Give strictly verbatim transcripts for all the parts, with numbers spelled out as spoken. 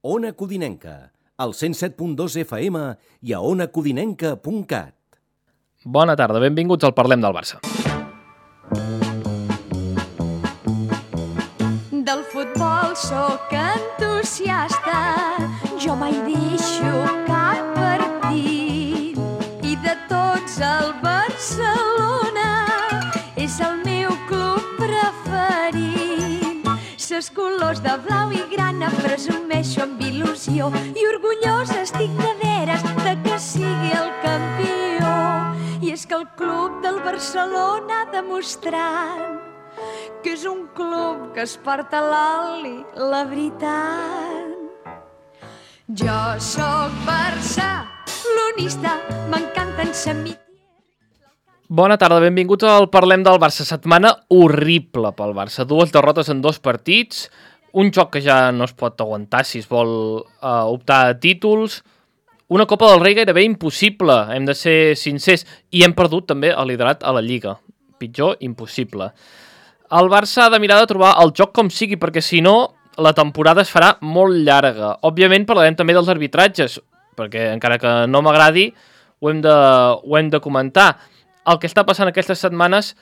Ona Codinenca, al cent set punt dos F M i a ona codinenca punt cat. Bona tarda, benvinguts al Parlem del Barça. Del futbol sóc entusiasta, jo mai deixo cap partit. I de tots el Barcelona és el meu club preferit. Ses colors de blau i grana presumeixo amb il·lusió i orgullosa estic de veres de que sigui el campió. I és que el club del Barcelona ha demostrat que és un club que es porta a l'oli, la veritat. Jo sóc barcelonista, m'encanten Samitier. Bona tarda, benvinguts al Parlem del Barça. Setmana horrible pel Barça. Dues derrotes en dos partits, un joc que ja no es pot aguantar si es vol uh, optar a títols, una Copa del Rei gairebé impossible, hem de ser sincers, i hem perdut també el liderat a la Lliga. Pitjor, impossible. El Barça ha de mirar de trobar el joc com sigui, perquè si no, la temporada es farà molt llarga. Òbviament parlarem també dels arbitratges, perquè encara que no m'agradi, ho hem de, ho hem de comentar. El que està passant aquestes setmanes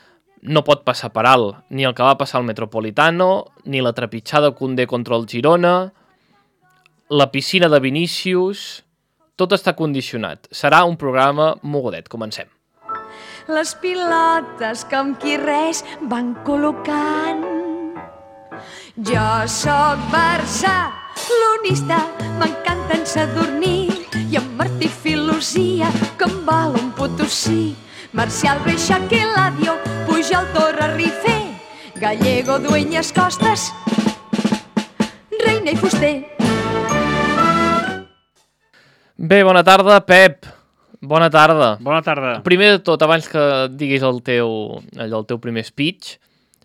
no pot passar per alt, ni el que va passar al Metropolitano, ni la trepitjada Koundé contra el Girona, la piscina de Vinícius, tot està condicionat. Serà un programa mogudet. Comencem. Les pilotes com qui res van col·locant. Jo sóc barcelonista, m'encanten Sadurní i en Martí Filosia, que em val un Potosí. Marcial, Reixac i Eladio, Pujol, Torra, Rifé, Gallego, Dueñas, Costas, Reina i Fuster. Bé, bona tarda, Pep. Bona tarda. Bona tarda. Primer de tot, abans que diguis el teu, allò, el teu primer speech,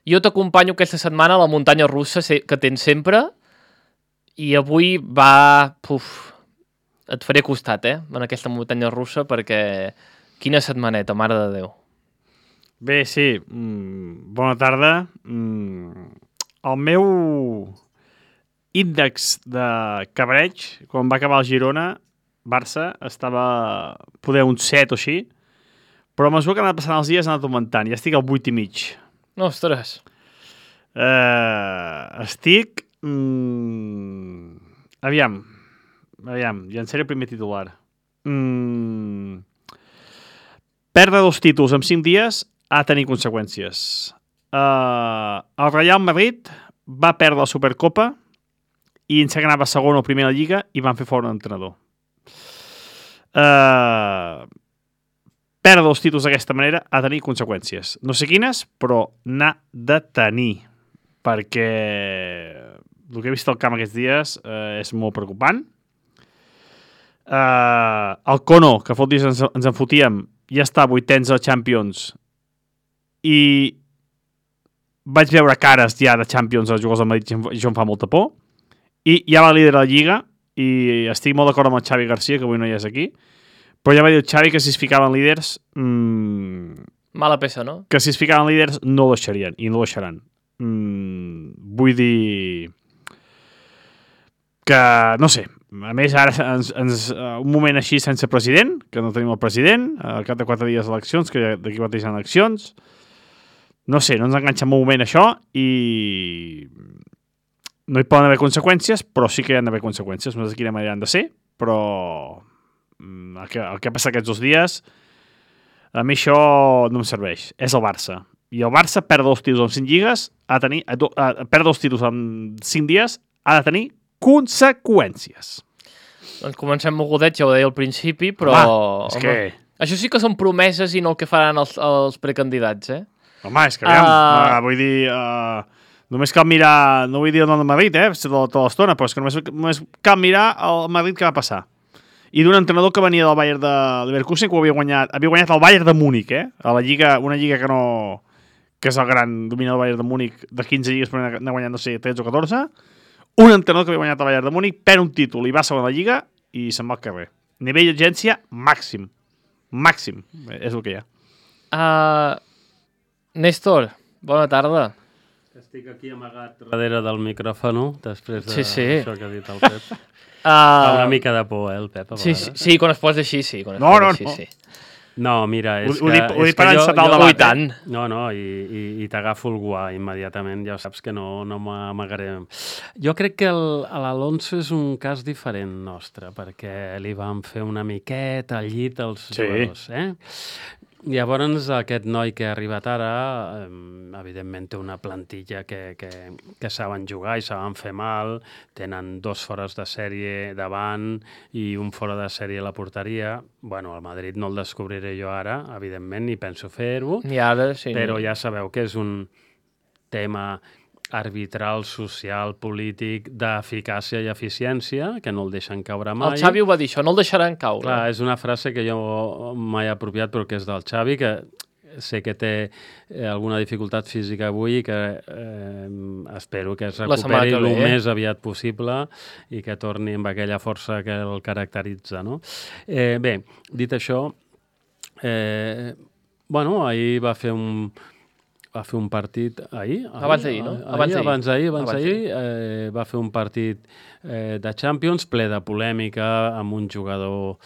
jo t'acompanyo aquesta setmana a la muntanya russa que tens sempre i avui va... Puf, et faré costat, eh, en aquesta muntanya russa, perquè quina setmaneta, mare de Déu. Bé, sí, mm, bona tarda. Mm, el meu índex de cabreig, quan va acabar el Girona, Barça, estava poder un set o així, però a mesura que han anat passant els dies ha anat augmentant, ja estic al vuit i mig. Ostres. Uh, estic... Mm, aviam, aviam, llançaré el primer titular. Mm, perdre dos títols en cinc dies ha de tenir conseqüències. Uh, el Real Madrid va perdre la Supercopa i ens anava segon o primer a la Lliga i van fer fora un entrenador. Uh, perdre els títols d'aquesta manera ha de tenir conseqüències. No sé quines, però n'ha de tenir, perquè el que he vist al camp aquests dies uh, és molt preocupant. Uh, el Kono, que fa dies ens, ens en fotíem, ja està a vuitens a Champions i vaig veure cares ja de Champions als jugadors del Madrid i això em fa molta por. I ja va líder de la Lliga i estic molt d'acord amb el Xavi Garcia, que avui no hi és aquí, però ja va dir el Xavi que si es ficaven líders... Mmm, mala peça, no? Que si es ficaven líders no ho deixarien, i no ho deixaran. Mm, vull dir... Que, no sé, a més ara ens, ens, un moment així sense president, que no tenim el president, al cap de quatre dies d'eleccions, que d'aquí quatre dies hi ha eleccions, no sé, no ens enganxa en un moment això i... No hi poden haver conseqüències, però sí que hi ha d'haver conseqüències. No sé de quina manera han de ser, però el que, el que ha passat aquests dos dies, a mi això no em serveix. És el Barça. I el Barça perdre dos títols en cinc lligues, ha de tenir, a, a, perdre dos títols en cinc dies, ha de tenir conseqüències. Doncs comencem mogudet, ja ho deia al principi, però... Home, és que... Això sí que són promeses i no el que faran els, els precandidats, eh? Home, és que aviam, Uh... uh, vull dir... Uh... Només cal mirar, no vull dir el nom del Madrid, eh, tota l'estona, però és que només, només cal mirar el Madrid que va passar. I d'un entrenador que venia del Bayern de Leverkusen, que havia guanyat, havia guanyat el Bayern de Múnich, eh, a la lliga, una lliga que no... que és el gran dominador del Bayern de Múnich, de quinze lligues, però n'ha guanyat, no sé, tretze o catorze. Un entrenador que havia guanyat el Bayern de Múnich, perd un títol i va a segon la lliga i se'n va al carrer. Nivell d'agència màxim. Màxim. És el que hi ha. Uh, Néstor, bona tarda. Estic aquí amagat darrere del micròfon, després de Sí, sí. això que ha dit el Pep. Uh, Fa una mica de por, eh, el Pep, a Sí, vegades. sí, sí, quan es posa així, sí. Quan es No, posa no, així, no. Sí. No, mira, és Ho- ho que... dic- ho és dic per que jo- encetar el jo- debat, Oh, i tant. No, no, i, i, i t'agafo el guà immediatament, ja saps que no, no m'amagaré. Jo crec que el- l'Alonso és un cas diferent nostre, perquè li vam fer una miqueta al llit als Sí. jugadors, eh? Llavors, aquest noi que ha arribat ara, eh, evidentment té una plantilla que, que, que saben jugar i saben fer mal, tenen dos fores de sèrie davant i un fora de sèrie a la porteria. Bueno, el Madrid no el descobriré jo ara, evidentment, ni penso fer-ho, I ara, sí. però ja sabeu que és un tema arbitral, social, polític, d'eficàcia i eficiència, que no el deixen caure mai. El Xavi ho va dir, això, no el deixaran caure. Clar, és una frase que jo m'he apropiat però que és del Xavi, que sé que té eh, alguna dificultat física avui i que eh, espero que es La setmana recuperi que el ve, eh? més aviat possible i que torni amb aquella força que el caracteritza, no? Eh, bé, dit això, eh, bueno, ahir va fer un va fer un partit ahir? Abans d'ahir, no? Ahir, Abans d'ahir. abans d'ahir, abans Abans d'ahir, eh, va fer un partit eh, de Champions ple de polèmica amb un jugador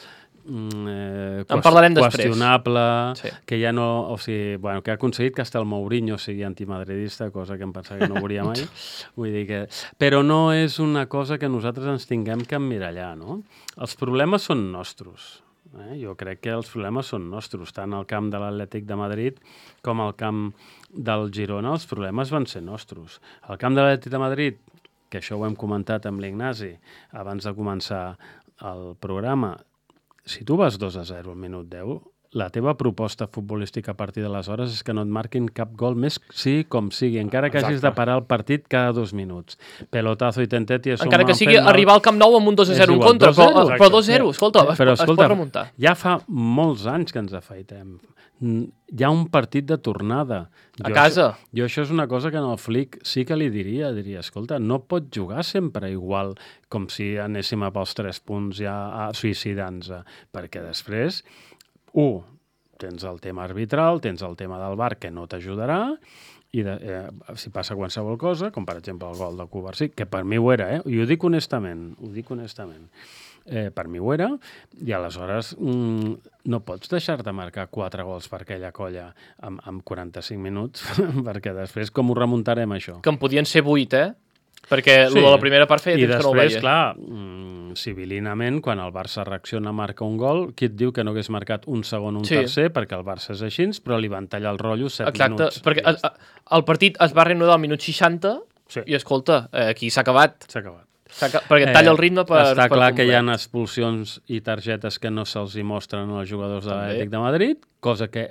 mm, eh, En parlarem després. qüestionable, Sí. que ja no, o sigui, bueno, que ha aconseguit que hasta el Mourinho sigui antimadridista, cosa que em pensava que no veuria mai. Vull dir que... Però no és una cosa que nosaltres ens tinguem que emmirallar, no? Els problemes són nostres. Eh? Jo crec que els problemes són nostres, tant al camp de l'Atlètic de Madrid com al camp del Girona, els problemes van ser nostres. Al camp de l'Atlètic de Madrid, que això ho hem comentat amb l'Ignasi abans de començar el programa, si tu vas dos a zero al minut deu, la teva proposta futbolística a partir d'aleshores és que no et marquin cap gol més, sí com sigui, encara que Exacte. hagis de parar el partit cada dos minuts. Pelotazo i tentet i això Encara que m'han sigui fet mal. arribar al Camp Nou amb un dos a És zero en igual, contra, dos a zero, però, exacte. però dos a zero, escolta, es, Però, es escolta, pot remuntar. ja fa molts anys que ens afaitem. Mm, Hi ha un partit de tornada. A casa. Això, jo això és una cosa que en el Flick sí que li diria. Diria, escolta, no pot jugar sempre igual com si anéssim a pels tres punts ja a suïcidar-nos. Perquè després, u, tens el tema arbitral, tens el tema del V A R que no t'ajudarà, i de, eh, si passa qualsevol cosa, com per exemple el gol de Covarsí, que per mi ho era, eh? I ho dic honestament, ho dic honestament. Eh, per mi ho era, i aleshores mm, no pots deixar-te marcar quatre gols per aquella colla amb, amb quaranta-cinc minuts, perquè després com ho remuntarem, això? Que en podien ser vuit, eh? Perquè sí. Lo de la primera part feia I temps que no ho després, veia. clar, mm, civilinament, quan el Barça reacciona a marcar un gol, qui et diu que no hagués marcat un segon o un Sí. tercer, perquè el Barça és així, però li van tallar el rotllo set Exacte, minuts. perquè I ja el, el partit es va reanudar al minut seixanta Sí. i, escolta, eh, aquí s'ha acabat. S'ha acabat. S'ha acabat perquè et talla el ritme per... Està per clar que hi ha complet. expulsions i targetes que no se'ls hi mostren als jugadors de També. l'Atlètic de Madrid, cosa que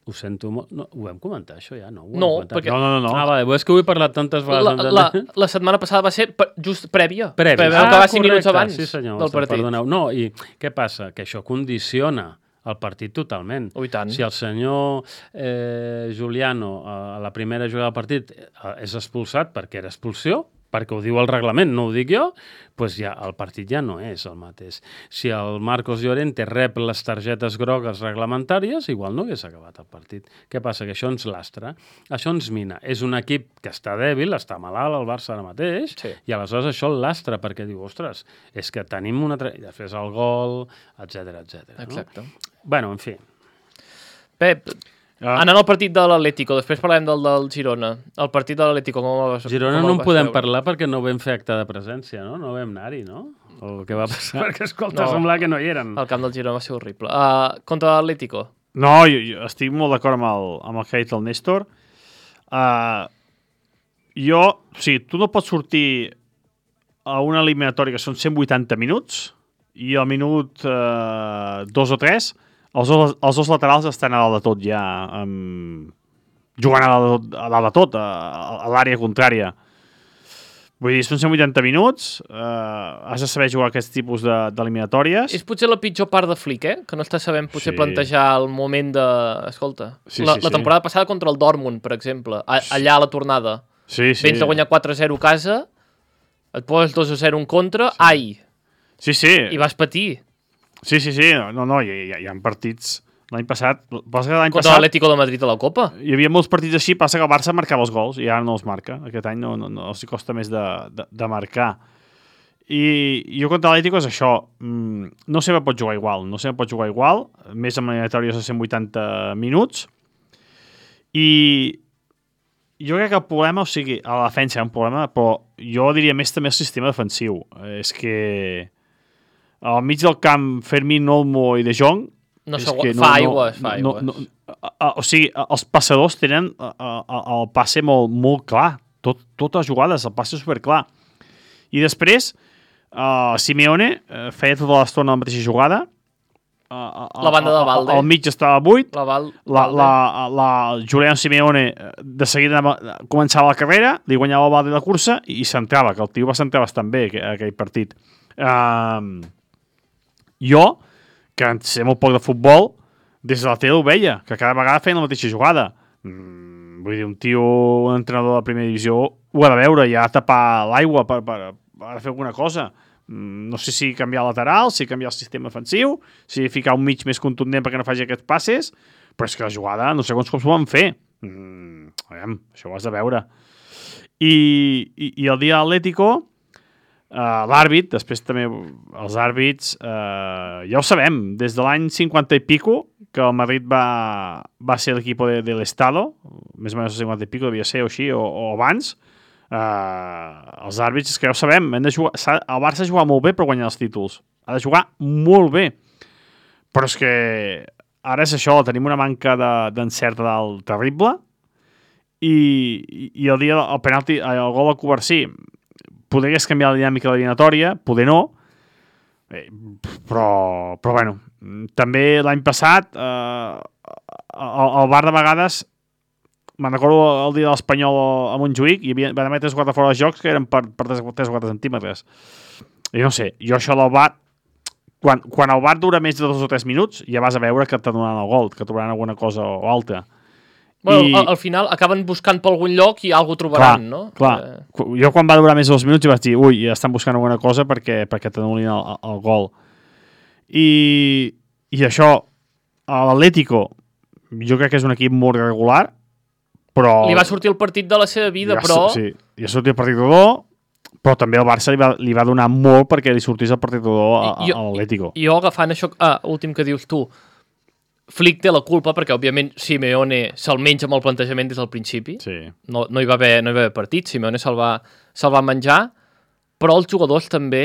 ho sento molt... No, ho vam comentar, això ja? No, ho hem No, comentat. perquè- No, no, no. no. Ah, vale, és que ho he parlat tantes La, vegades. la, la setmana passada va ser pe- just prèvia. Previ. Vam acabar cinc minuts abans sí, senyor, del partit. Perdoneu. No, i què passa? Que això condiciona el partit totalment. Oh, i tant. Si el senyor eh, Juliano a la primera jugada del partit eh, és expulsat perquè era expulsió, perquè ho diu el reglament, no ho dic jo, doncs ja el partit ja no és el mateix. Si el Marcos Llorente rep les targetes grogues reglamentàries, igual no hagués acabat el partit. Què passa? Que això ens lastra, això ens mina. És un equip que està dèbil, està malalt el Barça ara mateix, Sí. i aleshores això el lastra, perquè diu, ostres, és que tenim una... Tra... I després el gol, etcètera, etcètera. Exacte. No? Bueno, en fi. Pep, Ah. anant al partit de l'Atlético, després parlem del del Girona. El partit de l'Atlético, com el vas Girona com el no en vas podem veure? parlar perquè no vam fer acte de presència, no? No vam anar-hi, no? O què va passar? perquè, escolta, No. semblava que no hi eren. El camp del Girona va ser horrible. Uh, contra l'Atlético. No, jo, jo estic molt d'acord amb el, amb el que ha dit el Néstor. Uh, jo, o sigui, tu no pots sortir a una eliminatòria que són cent vuitanta minuts i al minut uh, dos o tres els dos, els dos laterals estan a dalt de tot ja, um, jugant a dalt, de tot- a dalt de tot, a, a l'àrea contrària. Vull dir, són cent vuitanta minuts, uh, has de saber jugar aquest tipus de- d'eliminatòries. És potser la pitjor part de Flick, eh? Que no està sabent potser Sí. plantejar el moment de... Escolta, Sí, la, sí, la sí. temporada passada contra el Dortmund, per exemple, a, allà a la tornada. Sí, sí. Vens de guanyar quatre a zero a casa, et poses dos a zero en contra, ai, Sí, sí. i vas patir. Sí, sí, sí. No, no, hi, hi, hi ha partits L'any passat... Passa que l'any Contra passat l'Atlético de Madrid a la Copa. hi havia molts partits així, passa que el Barça marcava els gols i ara no els marca. Aquest any no, no, no els costa més de, de, de marcar. I jo contra l'Atlético és això. Mm, no sempre pot jugar igual. No sempre pot jugar igual. Més amb eliminatòries de cent vuitanta minuts. I jo crec que el problema, o sigui, a la defensa hi ha un problema, però jo diria més també el sistema defensiu. És que al mig del camp Fermín, Olmo i De Jong No és sé, que fa aigües, fa no, aigües. no, no, a, a, o sigui, els passadors tenen a, a, el passe molt, molt clar. Tot, totes les jugades, el passe superclar. I després, uh, Simeone uh, feia tota l'estona la mateixa jugada. Uh, La banda de Valde. Al mig estava buit. La Val, La, la, la Julián Simeone de seguida anava, començava la carrera, li guanyava el Valde la cursa i centrava, que el tio va centrar bastant bé aquell, aquell partit. Uh, jo, que en sé molt poc de futbol, des de la tele ho veia, que cada vegada feien la mateixa jugada. Mm, vull dir, un tio, un entrenador de la primera divisió, ho ha de veure, ja ha de tapar l'aigua per, per, per fer alguna cosa. Mm, no sé si canviar el lateral, si canviar el sistema defensiu, si ficar un mig més contundent perquè no faci aquests passes, però és que la jugada no sé quants cops ho van fer. Mm, aviam, això ho has de veure. I, i, i el dia Atlético, uh, l'àrbit, després també els àrbits, uh, ja ho sabem, des de l'any cinquanta i pico, que el Madrid va, va ser l'equip de, de l'Estado, més o menys el cinquanta i pico devia ser o així, o, o abans. Uh, els àrbits, és que ja ho sabem, hem de jugar, el Barça ha jugat molt bé per guanyar els títols, ha de jugar molt bé, però és que ara és això, tenim una manca d'encert de, dalt terrible i, i, i el dia el penalti, el gol al Covarsí podries canviar la dinàmica de l'eliminatòria, poder no, eh, però, però bueno, també l'any passat eh, el, el bar de vegades me'n recordo el dia de l'Espanyol a Montjuïc i havia, van haver tres o quatre fora de jocs que eren per, per tres o quatre centímetres. I no sé, jo això del V A R, quan, quan el V A R dura més de dos o tres minuts, ja vas a veure que t'adonaran el gol, que trobaran alguna cosa o altra. Bueno, I... al, al final acaben buscant per algun lloc i alguna trobaran, clar, no? Clar, eh... jo quan va durar més de dos minuts ja vaig dir, ui, ja estan buscant alguna cosa perquè, perquè t'anulin el, el, el gol. I, i això, l'Atlético, jo crec que és un equip molt regular, però... Li va sortir el partit de la seva vida, ja, però... Sí, li ha sortit el partit rodó, però també el Barça li va, li va donar molt perquè li sortís el partit rodó a, a, a l'Atlético. I jo agafant això, ah, últim que dius tu, Flick té la culpa perquè, òbviament, Simeone se'l menja amb el plantejament des del principi. Sí. No, no, hi va haver, no hi va haver partit, Simeone se'l va, se'l va menjar, però els jugadors també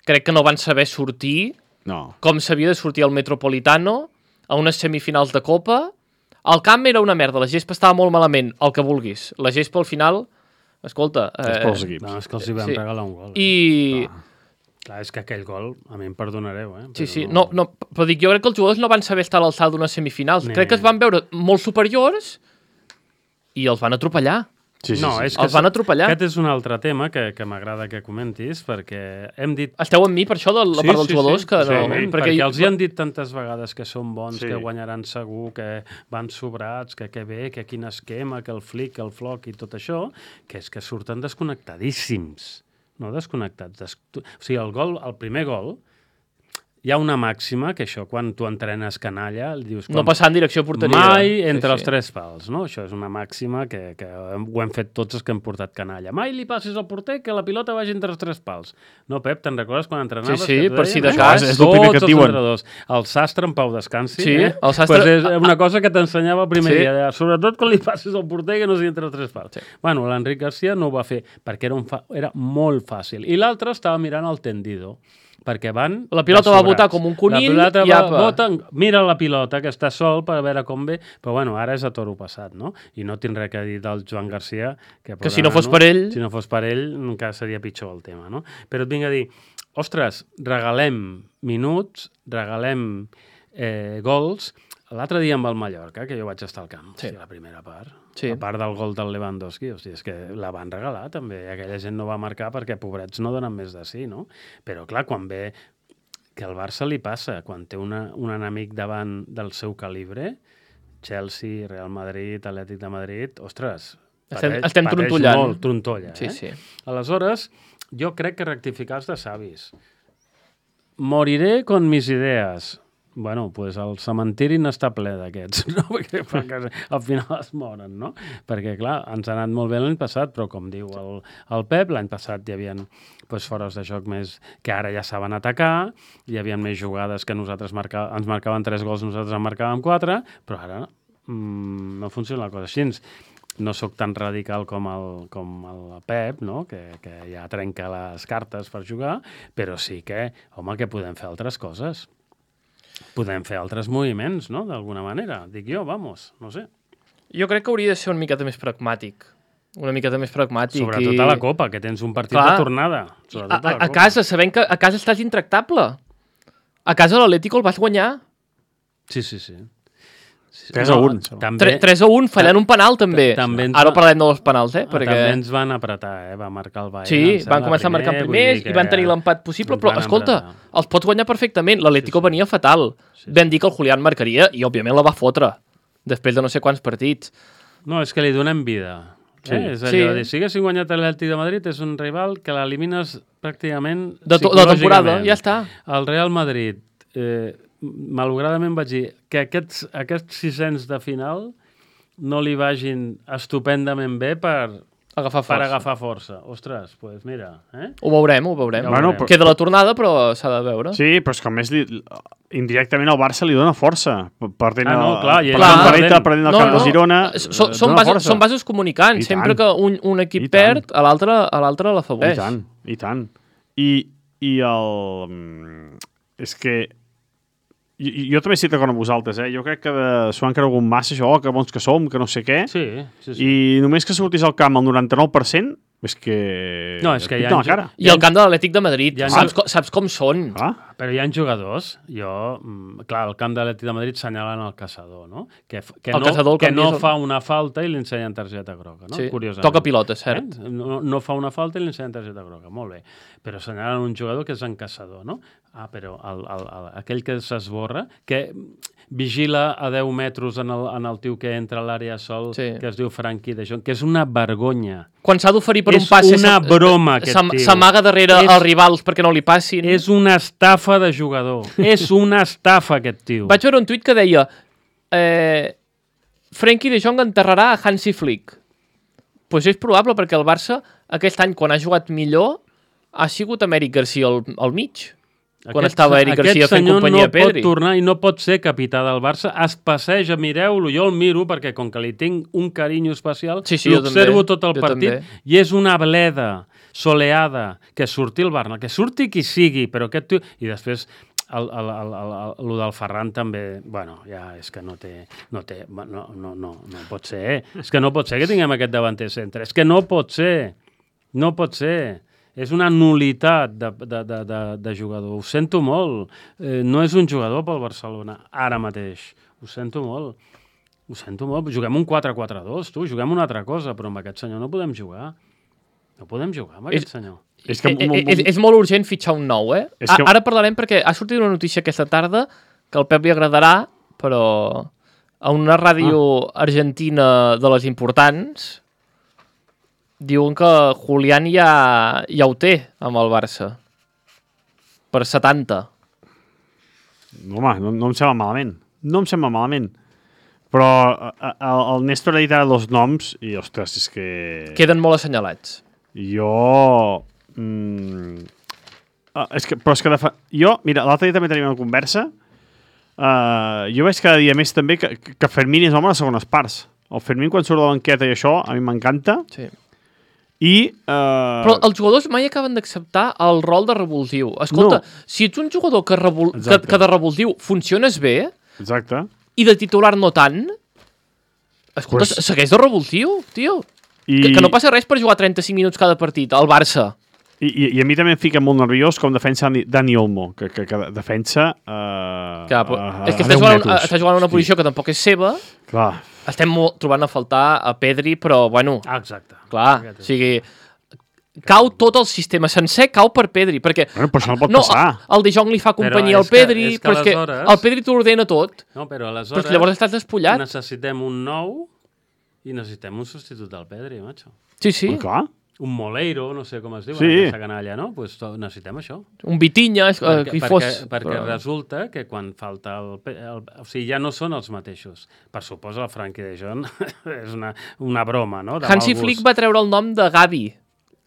crec que no van saber sortir no. com s'havia de sortir al Metropolitano a unes semifinals de Copa. El camp era una merda, la gespa estava molt malament, el que vulguis. La gespa al final, escolta... Eh, és pels equips. No, és que els hi vam sí. regalar un gol. I... Ah. Clar, és que aquell gol, a mi em perdonareu, eh? Sí, sí, no, no, però dic, jo crec que els jugadors no van saber estar a l'alçada d'unes semifinals. Nee. Crec que es van veure molt superiors i els van atropellar. Sí, sí, no, sí. és que els van atropellar. Aquest és un altre tema que, que m'agrada que comentis, perquè hem dit... Esteu amb mi per això de la sí, part dels sí, jugadors? Sí, que sí, no, sí, perquè perquè jo... els hi han dit tantes vegades que són bons, sí. que guanyaran segur, que van sobrats, que que bé, que quin esquema, que el flic, que el floc i tot això, que és que surten desconnectadíssims. No desconnectats. Des... O sigui, el gol, el primer gol, hi ha una màxima, que això, quan tu entrenes canalla, dius... No passar en direcció a porteria. Mai entre sí, els sí. tres pals, no? Això és una màxima que, que ho hem fet tots els que hem portat canalla. Mai li passis al porter que la pilota vagi entre els tres pals. No, Pep, te'n recordes quan entrenaves? Sí, sí, que per si de eh? cas. És el primer que et diuen. El sastre en pau descansi. Sí, eh? el sastre... Pues és una cosa que t'ensenyava el primer sí. dia. Sobretot quan li passis al porter que no sigui entre els tres pals. Sí. Bueno, l'Enric Garcia no ho va fer perquè era, un fa... era molt fàcil. I l'altre estava mirant el tendido. Perquè van... La pilota va botar com un conill la pilota i va, apa. Bota, mira la pilota, que està sol per veure com ve, però bueno, ara és a toro passat, no? I no tinc res a dir del Joan Garcia. Que, que si no fos per ell... Si no fos per ell, encara seria pitjor el tema, no? Però et vinc a dir, ostres, regalem minuts, regalem eh, gols. L'altre dia amb el Mallorca, que jo vaig estar al camp, sí. Hosti, la primera part, sí. A part del gol del Lewandowski, hosti, és que la van regalar també, aquella gent no va marcar perquè pobrets no donen més de sí, no? Però clar, quan ve que al Barça li passa, quan té una, un enemic davant del seu calibre, Chelsea, Real Madrid, Atlètic de Madrid, ostres, estem, pateix, estem pateix trontollant. molt, trontolla, sí, eh? sí. Aleshores, jo crec que rectificar els de savis. Moriré con mis idees. bueno, pues el cementiri n'està ple d'aquests, no? Perquè, perquè al final es moren, no? Perquè, clar, ens ha anat molt bé l'any passat, però com diu el, el Pep, l'any passat hi havia pues, fores de joc més que ara ja saben atacar, hi havia més jugades que nosaltres marca, ens marcaven tres gols, nosaltres en marcàvem quatre, però ara mm, no funciona la cosa així. No sóc tan radical com el, com el Pep, no? que, que ja trenca les cartes per jugar, però sí que, home, que podem fer altres coses. Podem fer altres moviments, no?, d'alguna manera. Dic jo, vamos, no sé. Jo crec que hauria de ser una miqueta més pragmàtic. Una miqueta més pragmàtic. Sobretot i... a la Copa, que tens un partit Clar, de tornada. A, a, a casa, sabent que a casa estàs intractable. A casa l'Atlético el vas guanyar. Sí, sí, sí. tres a un. També, tres a un, fallant un penal, també. també Ara va... parlem dels penals, eh? Perquè... També ens van apretar, eh? Va marcar el Bayern. Sí, van començar a marcar primers i van tenir l'empat possible, però, escolta, apretar. Els pots guanyar perfectament. L'Atlético sí, sí. venia fatal. Sí, sí. Vam dir que el Julián marcaria i, òbviament, la va fotre. Després de no sé quants partits. No, és que li donem vida. Sí. Eh? És allò sí. de dir, si haguessin guanyat l'Atlètic de Madrid, és un rival que l'elimines pràcticament de, to, de temporada, ja està. El Real Madrid... Eh, malauradament vaig dir que aquests, aquests sis-cents de final no li vagin estupendament bé per agafar força. Per agafar força. Ostres, doncs pues mira. Eh? Ho veurem, ho veurem. Ja bueno, però... Queda la tornada, però s'ha de veure. Sí, però és que a més li, indirectament el Barça li dona força. Perdent ah, no, clar, el, clar, perdent, perdent el no, camp no. de Girona. Són, són, bases, són bases comunicants. Sempre que un, un equip perd, a l'altre a l'altre l'afavoreix. I tant, i tant. I, i el... És que Jo, jo també estic d'acord amb vosaltres, eh? Jo crec que s'ho han cregut massa, això, oh, que bons que som, que no sé què. Sí, sí, sí. I només que sortís al camp el noranta-nou per cent, és que... No, és que hi ha... La cara. I el camp de l'Atlètic de Madrid, ha... saps, com, saps com són. Ah. Però hi ha jugadors, jo... Clar, el camp de l'Atlètic de Madrid senyalen el caçador, no? Que, que el no, caçador, que no són... fa una falta i li ensenyen targeta groga, no? Sí, curiosament. toca pilota, cert. Eh? No, no fa una falta i li ensenyen targeta groga, molt bé. Però senyalen un jugador que és en caçador, no? Ah, però el, el, el, aquell que s'esborra, que vigila a deu metres en el, en el tio que entra a l'àrea sol, sí. que es diu Frankie de Jong, que és una vergonya. Quan s'ha d'oferir per és un passe... És una broma, aquest tio. S'amaga darrere és, els rivals perquè no li passin. És una estafa de jugador. És una estafa, aquest tio. Vaig veure un tuit que deia eh, Frankie de Jong enterrarà a Hansi Flick. Doncs pues és probable, perquè el Barça aquest any, quan ha jugat millor, ha sigut Amèric Garcia al, al mig. Quan aquest, estava Eric Garcia fent companyia a Pedri. Aquest senyor no pot tornar i no pot ser capità del Barça. Es passeja, mireu-lo, jo el miro perquè com que li tinc un carinyo especial, sí, sí, l'observo tot el partit també. I és una bleda soleada, que surti el Barça, que surti qui sigui, però aquest tio... I després el, el, el, el, el, el del Ferran també, bueno, ja és que no té, no té, no, no, no, no pot ser, és que no pot ser que tinguem aquest davanter centre, és que no pot ser, no pot ser. És una nulitat de, de, de, de, de jugador. Ho sento molt. Eh, no és un jugador pel Barcelona, ara mateix. Ho sento molt. Ho sento molt. Juguem un quatre quatre dos, tu. Juguem una altra cosa, però amb aquest senyor no podem jugar. No podem jugar amb aquest és, senyor. És, que, és, és, és molt urgent fitxar un nou, eh? Que... Ara parlarem perquè ha sortit una notícia aquesta tarda que al Pep li agradarà, però a una ràdio ah. argentina de les importants... Diuen que Julián ja, ja ho té amb el Barça. Per setanta. No, home, no, no em sembla malament. No em sembla malament. Però el, el Néstor ha dit ara dos noms i, ostres, és que... Queden molt assenyalats. Jo... Mm, és que, però és que... Fa... Jo, mira, l'altre dia també tenim una conversa. Uh, jo veig cada dia més també que, que Fermín és home a les segones parts. El Fermín, quan surt de la banqueta i això, a mi m'encanta. Sí. I, uh... Però els jugadors mai acaben d'acceptar el rol de revulsiu. Escolta, no. Si ets un jugador que, revol... que, que de revulsiu funciones bé exacte. I de titular no tant, escolta, pues... segueix de revulsiu, tio. I... Que, que no passa res per jugar trenta-cinc minuts cada partit al Barça. I, i, i a mi també em fica molt nerviós com defensa Dani Olmo, que, que, que defensa... Uh, Clar, però, uh, és que està jugant, està jugant una posició que tampoc és seva. Clar. Estem molt, trobant a faltar a Pedri, però, bueno... Ah, exacte. Clar, o sigui... Cau tot el sistema sencer, cau per Pedri, perquè... Bueno, però això no pot no, passar. El, el De Jong li fa companyia al Pedri, que, és que però és aleshores... que el Pedri t'ho ordena tot. No, però aleshores... Però llavors estàs despullat. Necessitem un nou i necessitem un substitut del Pedri, macho. Sí, sí. Però clar. un Moleiro, no sé com es diu, Sí. aquesta canalla, no? Pues to- necessitem això. Un Vitinha, eh, Perquè, qui perquè, fos. perquè però- resulta que quan falta el, pe- el... O sigui, ja no són els mateixos. Per suposa, el Frankie de Jong és una, una broma, no? De Hansi mal gust. Flick va treure el nom de Gavi,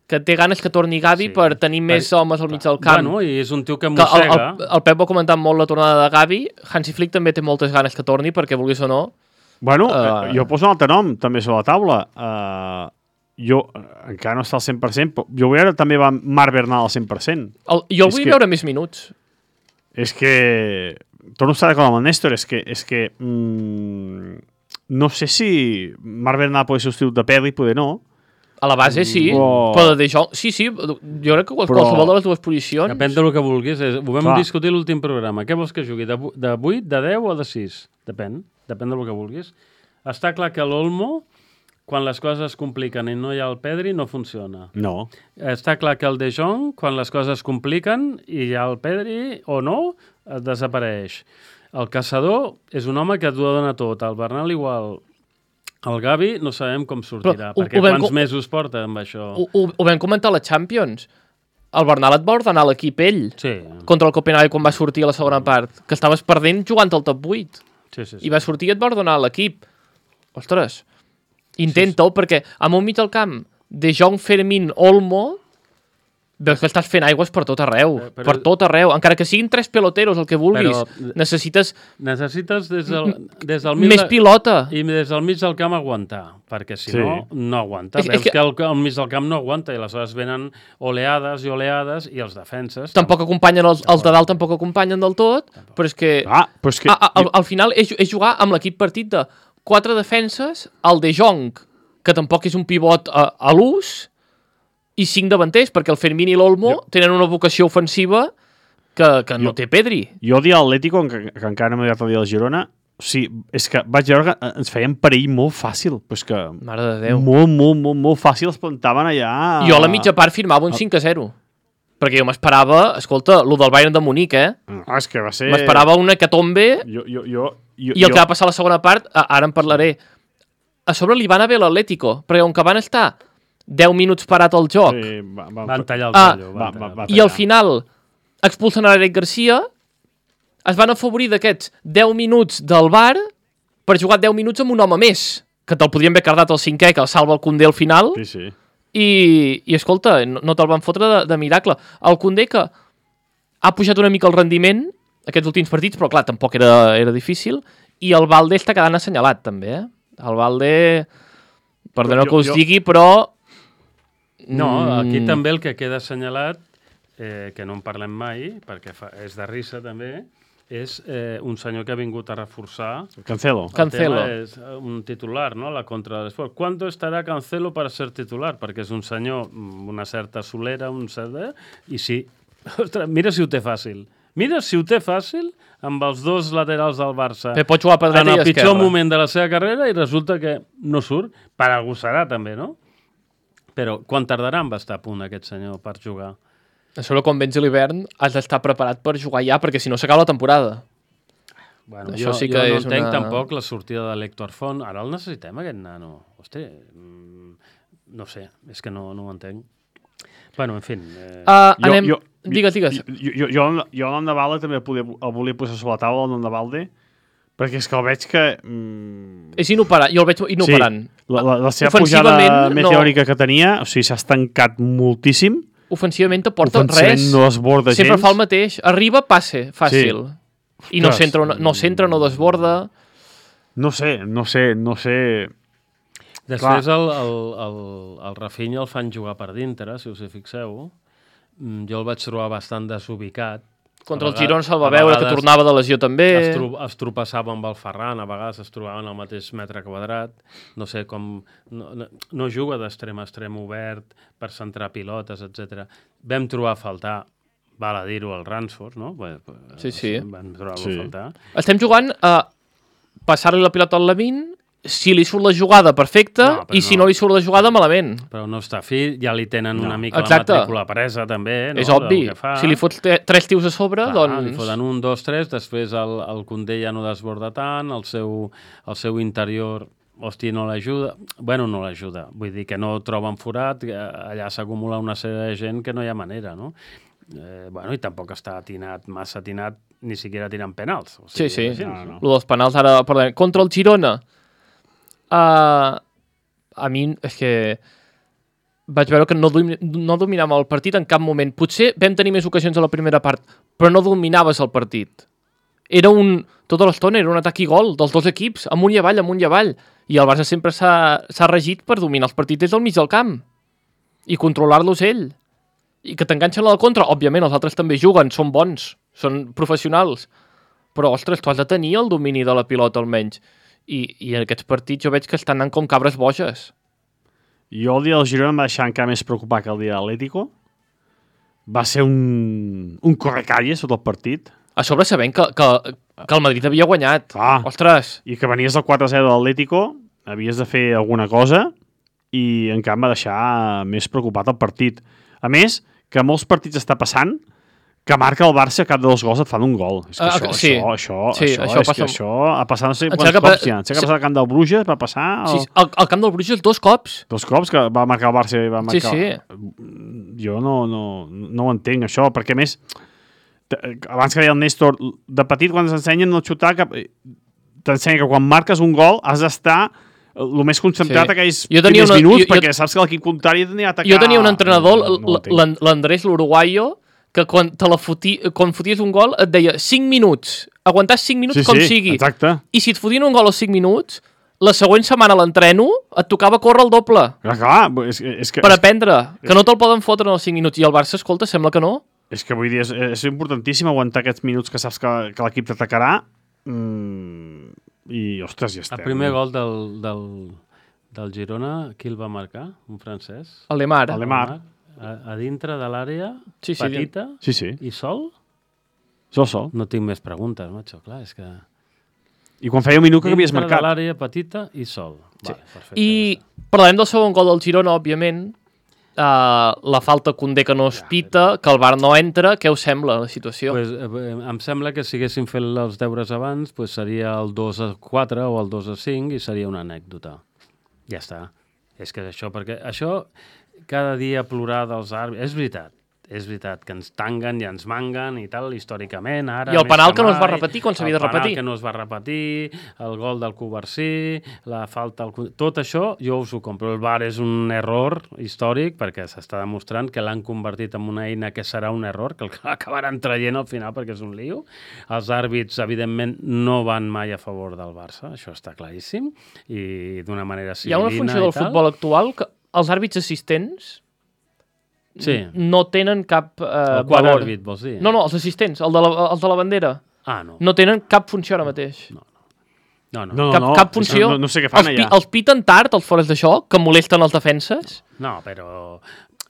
que té ganes que torni Gavi Sí. per tenir més Per- homes al mig del camp. Bueno, i és un tio que que el, mossega. el, el Pep va comentar molt la tornada de Gavi. Hansi Flick també té moltes ganes que torni, perquè vulguis o no. Bueno, Uh, uh, jo poso un altre nom també sobre la taula. Uh, jo uh, encara no està al cent per cent, però jo vull veure també va Marc Bernal al cent per cent. El, jo el És vull que- veure més minuts. És que... Torno a estar d'acord amb el Néstor, és que... És que mm, no sé si Marc Bernal pot ser substitut de Pedri, poder no. A la base, sí. Oh. Però de Jong... Sí, sí, jo crec que Però- qualsevol de les dues posicions... Depèn del que vulguis. És, ho vam Clar. discutir a l'últim programa. Què vols que jugui? De, vu- de vuit, de deu o de sis? Depèn. Depèn del que vulguis. Està clar que l'Olmo, quan les coses es compliquen i no hi ha el Pedri, no funciona. No. Està clar que el De Jong, quan les coses es compliquen i hi ha el Pedri o no, eh, desapareix. El Caçador és un home que t'ho dona tot. El Bernal igual. El Gavi no sabem com sortirà, Però ho- perquè ho vam quants com- mesos porta amb això? Ho, ho, ho vam comentar a la Champions. El Bernal et va ordenar l'equip ell Sí, contra el Copenhague quan va sortir a la segona part, que estaves perdent jugant al top vuit. sí, sí. sí. I va sortir i et va ordenar l'equip. Ostres, intenta-ho, perquè amb un mig del camp de Jong, Fermín, Olmo, veus que estàs fent aigües per tot arreu. Eh, però- Per tot arreu. Encara que siguin tres peloteros, el que vulguis, Però- necessites Necessites des del, des del mig més de- pilota. i des del mig del camp aguantar, perquè si Sí. no, no aguanta. És- és Veus que- que el, el mig del camp no aguanta i aleshores venen oleades i oleades i els defenses... Tampoc acompanyen els, els de dalt, tampoc acompanyen del tot, però és que... Ah, però és que... Ah, ah, al, al final és, és jugar amb l'equip partit de quatre defenses, el de Jong, que tampoc és un pivot a, a l'ús, i cinc davanters, perquè el Fermín i l'Olmo Jo- tenen una vocació ofensiva que, que no Jo- té Pedri. Jo el dia de l'Atlético, que, que encara no m'he dit el dia de Girona, o sigui, és que vaig veure que ens feien perill molt fàcil. Però és que Mare de Déu. molt, molt, molt, molt fàcil es plantaven allà... Jo a la mitja part firmava un cinc a zero. Perquè jo m'esperava, escolta, lo del Bayern de Munic, eh? Ah, és que va ser... M'esperava una hecatombe Jo, jo, jo, jo, i el jo... que va passar a la segona part, a- ara en parlaré. A sobre li van a bé l'Atlético, perquè on que van estar deu minuts parat al joc, Sí, va, va, Van tallar el Ah, tallo. va, van va, tallar. va. i al final expulsen a l'Eric Garcia, es van afavorir d'aquests deu minuts del bar per jugar deu minuts amb un home més, que te'l podrien haver cardat el cinquè, que el salva el Koundé al final, Sí, sí. i, i escolta, no, no te'l van fotre de, de miracle. El Koundé, que ha pujat una mica el rendiment aquests últims partits, però clar, tampoc era, era difícil, i el Valde està quedant assenyalat també, eh? El Valde, perdoneu Jo- que us jo- digui, però... No, aquí Mm, també el que queda assenyalat, eh, que no en parlem mai, perquè fa, és de risa també, és eh, un senyor que ha vingut a reforçar... Cancelo. Can- Cancelo. El tema és eh, un titular, no?, la contra de l'esport. ¿Cuánto estarà Cancelo per ser titular? Perquè és un senyor amb una certa solera, un cert... eh, I sí, ostres, mira si ho té fàcil. Mira si ho té fàcil amb els dos laterals del Barça. Bé, pot jugar per dreta en i el pitjor esquerra. moment de la seva carrera i resulta que no surt. Per algú serà, també, no? Però quan tardarà en estar a punt aquest senyor per jugar? A sobre, quan vens a l'hivern, has d'estar preparat per jugar ja, perquè si no s'acaba la temporada. Bueno, Això jo, sí que jo no és entenc una- tampoc la sortida de l'Héctor Font. Ara el necessitem, aquest nano. Hosti, mm, no sé, és que no, no ho entenc. Bueno, en fi... Eh... Uh, Jo- anem... jo- digues, digues. Jo, jo, jo, jo el nom de Valde també el, podia, el volia posar sobre la taula, el nom de Valde, perquè és que el veig que... Mm, És inoperant, jo el veig inoperant. Sí, la, la, la seva pujada Ofensivament, no. meteòrica que tenia, o sigui, s'ha estancat moltíssim. Ofensivament t'aporta Ofensivament res. no desborda Sempre gens. fa el mateix. Arriba, passe, fàcil. I no Ostres. centra, no, no centra, no desborda. No sé, no sé, no sé... Després el, el, el, el Rafinha el fan jugar per dintre, si us hi fixeu. Mm, Jo el vaig trobar bastant desubicat. Contra A el vegades- Girona se'l va a veure, que vegades tornava de lesió també. Es, tro es tropeçava amb el Ferran, a vegades es trobaven al mateix metre quadrat. No sé com... No, no, no juga d'extrem a extrem obert per centrar pilotes, etcètera. Vam trobar a faltar, val a dir-ho, el Ransford, no? Bé, Sí, sí. Vam trobar-lo Sí. a faltar. Estem jugant a passar-li la pilota al Lamin, si li surt la jugada, perfecte, No, però i si no. no li surt la jugada, malament. Però no està fi, ja li tenen No. una mica Exacte. la matrícula presa, també, no? És obvi. Del que fa. Si li fots te- tres tios a sobre, Clar, doncs... li foten un, dos, tres, després el, el Koundé ja no desborda tant, el seu, el seu interior hosti, no l'ajuda. Bueno, no l'ajuda. Vull dir que no troben forat, allà s'acumula una sèrie de gent que no hi ha manera, no? Eh, bueno, i tampoc està atinat, massa atinat, ni siquiera tirant penals. O sigui, sí, sí. No, no. Lo dels penals ara parlem. Contra el Girona, uh, a mi és que vaig veure que no, domi no dominàvem el partit en cap moment. Potser vam tenir més ocasions a la primera part, però no dominaves el partit. Era un... Tota l'estona era un atac i gol dels dos equips, amunt i avall, amunt i avall. I el Barça sempre s'ha regit per dominar els partits des del mig del camp i controlar-los ell. I que t'enganxen a la contra. Òbviament, els altres també juguen, són bons, són professionals. Però, ostres, tu has de tenir el domini de la pilota, almenys. I, i en aquests partits jo veig que estan anant com cabres boges. Jo el dia del Girona em va deixar encara més preocupat que el dia de l'Atlético. Va ser un, un correcalles tot el partit. A sobre sabent que, que, que el Madrid havia guanyat. Ah. Ostres! I que venies del quatre a zero de l'Atlético, havies de fer alguna cosa i encara em va deixar més preocupat el partit. A més, que molts partits està passant que marca el Barça cap de dos gols et fan un gol. És que Uh, això, sí. això, això, Sí, això, això és passa- que això ha passat no sé Em quants sembla que cops pa- ja. Em sembla que ha passat al camp del Bruges, va passar Sí, el... al, al camp del Bruges dos cops. dos cops que va marcar el Barça i va Sí, marcar... sí. Jo no, no, no ho entenc, això, perquè a més, t- abans que deia el Néstor, de petit quan ens ensenyen no xutar, que t'ensenya que quan marques un gol has d'estar el més concentrat Sí. aquells Jo tenia primers una- minuts, jo- jo- perquè saps que l'equip contrari tenia a atacar... Jo tenia un entrenador, No, no ho entenc. l'An- l'Andrés l'Uruguayo, que quan, te la foti, quan foties un gol et deia cinc minuts, aguantar cinc minuts Sí, com sí, sigui. exacte. I si et fotien un gol als cinc minuts, la següent setmana a l'entreno et tocava córrer el doble Clar, clar, és, és, que, per és, aprendre, que no te'l poden fotre en els cinc minuts. I el Barça, escolta, sembla que no. és que vull dir, és, és importantíssim aguantar aquests minuts que saps que, que l'equip t'atacarà mm, i, ostres, ja estem. El primer gol del, del, del Girona, qui el va marcar? Un francès? El Lemar. El Lemar. A, a dintre de l'àrea, Sí, sí, petita, Sí, sí, i sol? sol, sol. No tinc més preguntes, macho, clar, és que... I quan feia un minut que havies Dintre de marcat. l'àrea petita i sol. Sí. Vale, perfecte, I ja està. parlarem del segon gol del Girona, òbviament. Uh, la falta Koundé que no es pita, que el V A R no entra. Què us sembla la situació? Pues, eh, em sembla que si haguéssim fet els deures abans, pues seria el dos a quatre o el dos a cinc i seria una anècdota. Ja està. És que és això, perquè això cada dia plorar dels àrbitres... És veritat, és veritat, que ens tanguen i ens manguen i tal, històricament, ara... I el més penal que no es va mai, repetir quan s'havia de El repetir. penal que no es va repetir, el gol del Covarsí, la falta... Al... Tot això jo us ho compro. El V A R és un error històric perquè s'està demostrant que l'han convertit en una eina que serà un error, que el acabaran traient al final perquè és un lío. Els àrbits, evidentment, no van mai a favor del Barça, això està claríssim, i d'una manera Hi ha civilina una funció i del tal. futbol actual que els àrbits assistents Sí. no tenen cap uh, El quart valor. àrbit, vols dir? No, no, els assistents, el de la, els de la bandera, Ah, no. no tenen cap funció ara mateix. No, no. No, cap, no, cap funció. No, no sé què fan els, pi- allà. els piten tard, els fores de joc, que molesten els defenses. No, però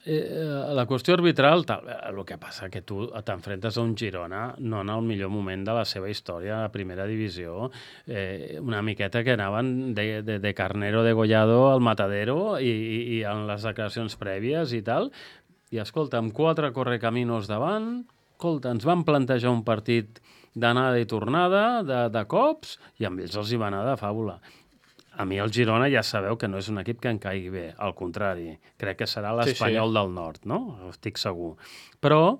eh, la qüestió arbitral, tal, eh, el que passa que tu t'enfrentes a un Girona no en el millor moment de la seva història a primera divisió, eh, una miqueta que anaven de, de, de carnero degollado al matadero i, i, i en les declaracions prèvies i tal, i escolta, amb quatre correcaminos davant, escolta, ens van plantejar un partit d'anada i tornada, de, de cops, i amb ells els hi va anar de fàbula. A mi el Girona ja sabeu que no és un equip que em caigui bé, al contrari. Crec que serà l'Espanyol Sí, sí. del Nord, no? Estic segur. Però,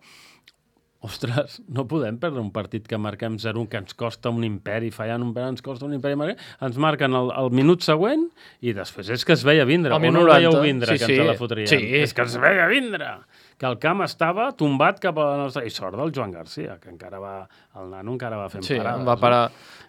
ostres, no podem perdre un partit que marquem zero, que ens costa un imperi, fallant un penal ens costa un imperi, ens marquen el, el minut següent i després és que es veia vindre. Al O no minut el veieu noranta. vindre, Sí, que sí. ens la fotríem? Sí. És que es veia vindre! Que el camp estava tombat cap a la nostra... I sort del Joan Garcia, que encara va... El nano encara va fent Sí, parades. em va parar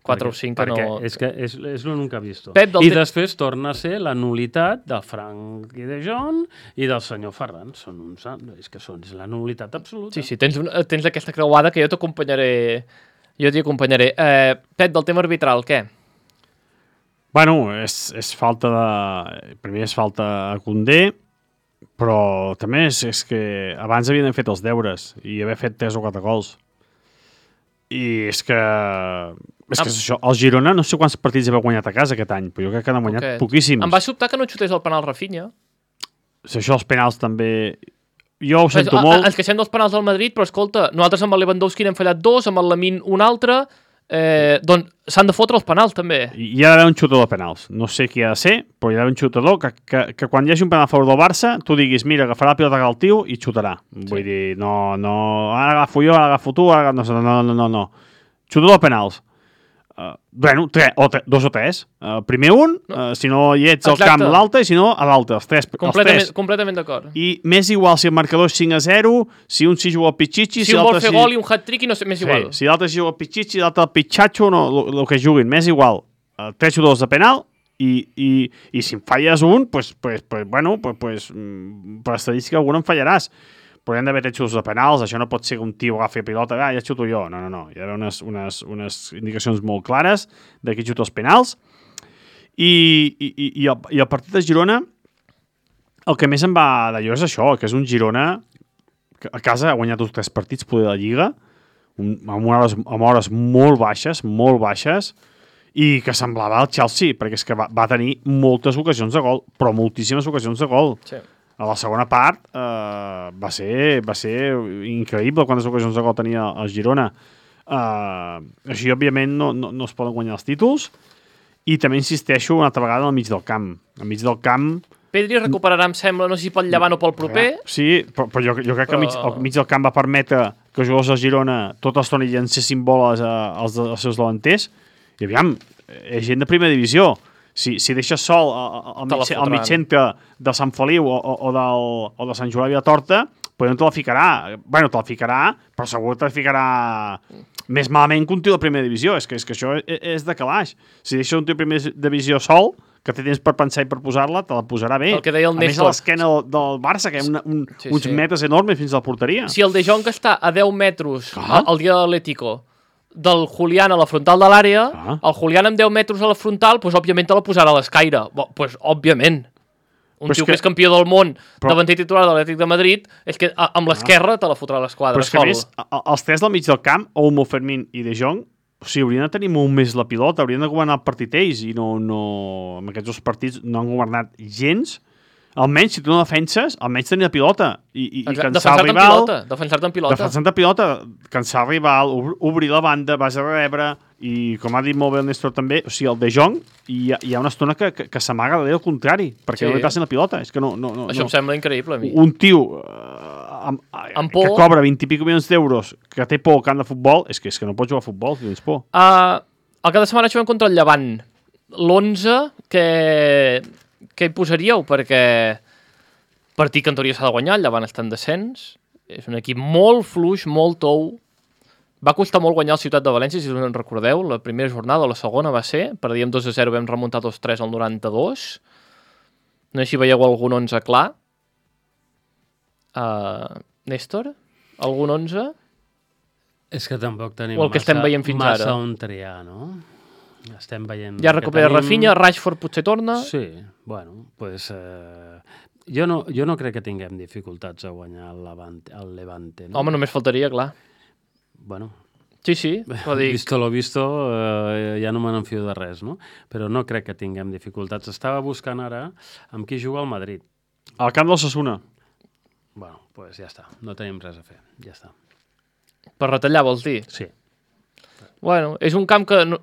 quatre Perquè- o cinc que perquè no... és que és, és l'únic que he vist. Pep, del I te- després torna a ser la nulitat del Frank i de John i del senyor Ferran. Són uns... És que són, és la nulitat absoluta. Sí, sí, tens, un, tens aquesta creuada que jo t'acompanyaré. Jo t'hi acompanyaré. Eh, Pep, del tema arbitral, què? Bueno, és, és falta de... Primer és falta a Koundé, però també és, és que abans havien fet els deures i haver fet tres o quatre gols. I és que... És que és això, el Girona no sé quants partits havia guanyat a casa aquest any, però jo crec que n'ha guanyat Poquets. poquíssims. Em va sobtar que no xutés el penal Rafinha. Si això els penals també... Jo ho sento A- a- molt. Ens queixem dels penals del Madrid, però escolta, nosaltres amb el Lewandowski n'hem fallat dos, amb el Lamine un altre, Eh, doncs s'han de fotre els penals, també. I hi ha d'haver un xutador de penals. No sé qui ha de ser, però hi ha d'haver un xutador que, que, que quan hi hagi un penal a favor del Barça, tu diguis, mira, agafarà la pilota al tio i xutarà. Sí. Vull dir, no, no, ara agafo jo, ara agafo tu, ara... no, no, no, no, no. Xutador de penals. Uh, bueno, tres, o tre, dos o tres. Uh, primer un, uh, si no hi ets al camp l'altre, i si no a l'altre, els tres. Completament, els tres. completament d'acord. I més igual si el marcador és cinc a zero, si un s'hi juga al pitxitxi... Si, si un vol fer si... gol i un hat-trick i no sé, més sí, igual. Si l'altre s'hi juga al pitxitxi, l'altre al pitxatxo, no, el que juguin, més igual. Uh, tres jugadors de penal, i, i, i si en falles un, pues, pues, pues, bueno, pues, pues, per estadística algun en fallaràs. Però hi ha d'haver tres xuts de penals, això no pot ser que un tio agafi pilota, ah, ja xuto jo. No, no, no. Hi ha d'haver unes, unes, unes indicacions molt clares de qui xuta els penals. I, i, i, el, I el partit de Girona, el que més em va d'allò és això, que és un Girona que a casa ha guanyat uns tres partits poder de la Lliga, un, amb, hores, amb hores molt baixes, molt baixes, i que semblava el Chelsea, perquè és que va, va tenir moltes ocasions de gol, però moltíssimes ocasions de gol. Sí. A la segona part eh, va, ser, va ser increïble quantes ocasions de gol tenia el Girona. Eh, així, òbviament, no, no, no es poden guanyar els títols. I també insisteixo una altra vegada al mig del camp. Al mig del camp... Pedri recuperarà, em sembla, no sé si pel llevant o pel proper. Sí, però, però jo, jo crec que al mig, al mig del camp va permetre que els jugadors del Girona tota l'estona llancessin boles als, als seus davanters. I aviam, és gent de primera divisió. Si, si deixes sol al mig, mig centre de Sant Feliu o, o, o, del, o de Sant Joan de Torta, pues no te la ficarà. Bueno, te la ficarà, però segur que te la ficarà més malament que un tio de primera divisió. És que, és que això és, és de calaix. Si deixes un tio de primera divisió sol, que té temps per pensar i per posar-la, te la posarà bé. El que deia el a Néstor. més, a l'esquena del, del Barça, que hi ha una, un, sí, uns sí. metres enormes fins a la porteria. Si el De Jong que està a deu metres ah. al dia de l'Atlético del Julián a la frontal de l'àrea, ah. el Julián amb deu metres a la frontal, doncs, òbviament, te la posarà a l'escaire. Doncs, pues, òbviament. Un tio que... que és campió del món, però... davanter titular de l'Atlètic de Madrid, és que amb l'esquerra te la fotrà a l'esquadra. Però és que, a més, els tres del mig del camp, Olmo, Fermín i De Jong, o sigui, haurien de tenir molt més la pilota, haurien de governar el partit ells, i no, no... en aquests dos partits no han governat gens. Almenys, si tu no defenses, almenys tenir la pilota i, i, i cansar el rival... Defensar-te en pilota. Defensar-te en pilota, cansar el rival, obrir la banda, vas a rebre, i com ha dit molt bé el Néstor també, o sigui, el De Jong, hi ha, hi ha una estona que, que, que s'amaga darrere el contrari, perquè sí. no li passin la pilota. És que no, no, no, Això no. em sembla increïble a mi. Un tio uh, amb, amb que cobra vint i pico milions d'euros, que té por al camp de futbol, és que, és que no pots jugar a futbol si tens por. Uh, el cap de setmana juguem contra el Llevant. L'onze, que... què hi posaríeu? Perquè partit que en teoria s'ha de guanyar, el Llevant està en descens, és un equip molt fluix, molt tou. Va costar molt guanyar el Ciutat de València, si us en recordeu, la primera jornada o la segona va ser, perdíem dos a zero, vam remuntar dos a tres al noranta-dos. No sé si veieu algun onze clar. Uh, Néstor? Algun onze? És que tampoc tenim o el que massa, estem veient fins massa ara. on triar, no? Estem veient... Ja recupera tenim... Rafinha, Rashford potser torna. Sí, bueno, doncs... Eh, jo, no, jo no crec que tinguem dificultats a guanyar el Levante. El Levante no? Home, només faltaria, clar. Bueno... Sí, sí, ho dic. Visto lo visto, eh, ja no me n'enfio de res, no? Però no crec que tinguem dificultats. Estava buscant ara amb qui juga el Madrid. Al camp del Osasuna. Bueno, doncs pues ja està. No tenim res a fer. Ja està. Per retallar, vols dir? Sí. Bueno, és un camp que... No...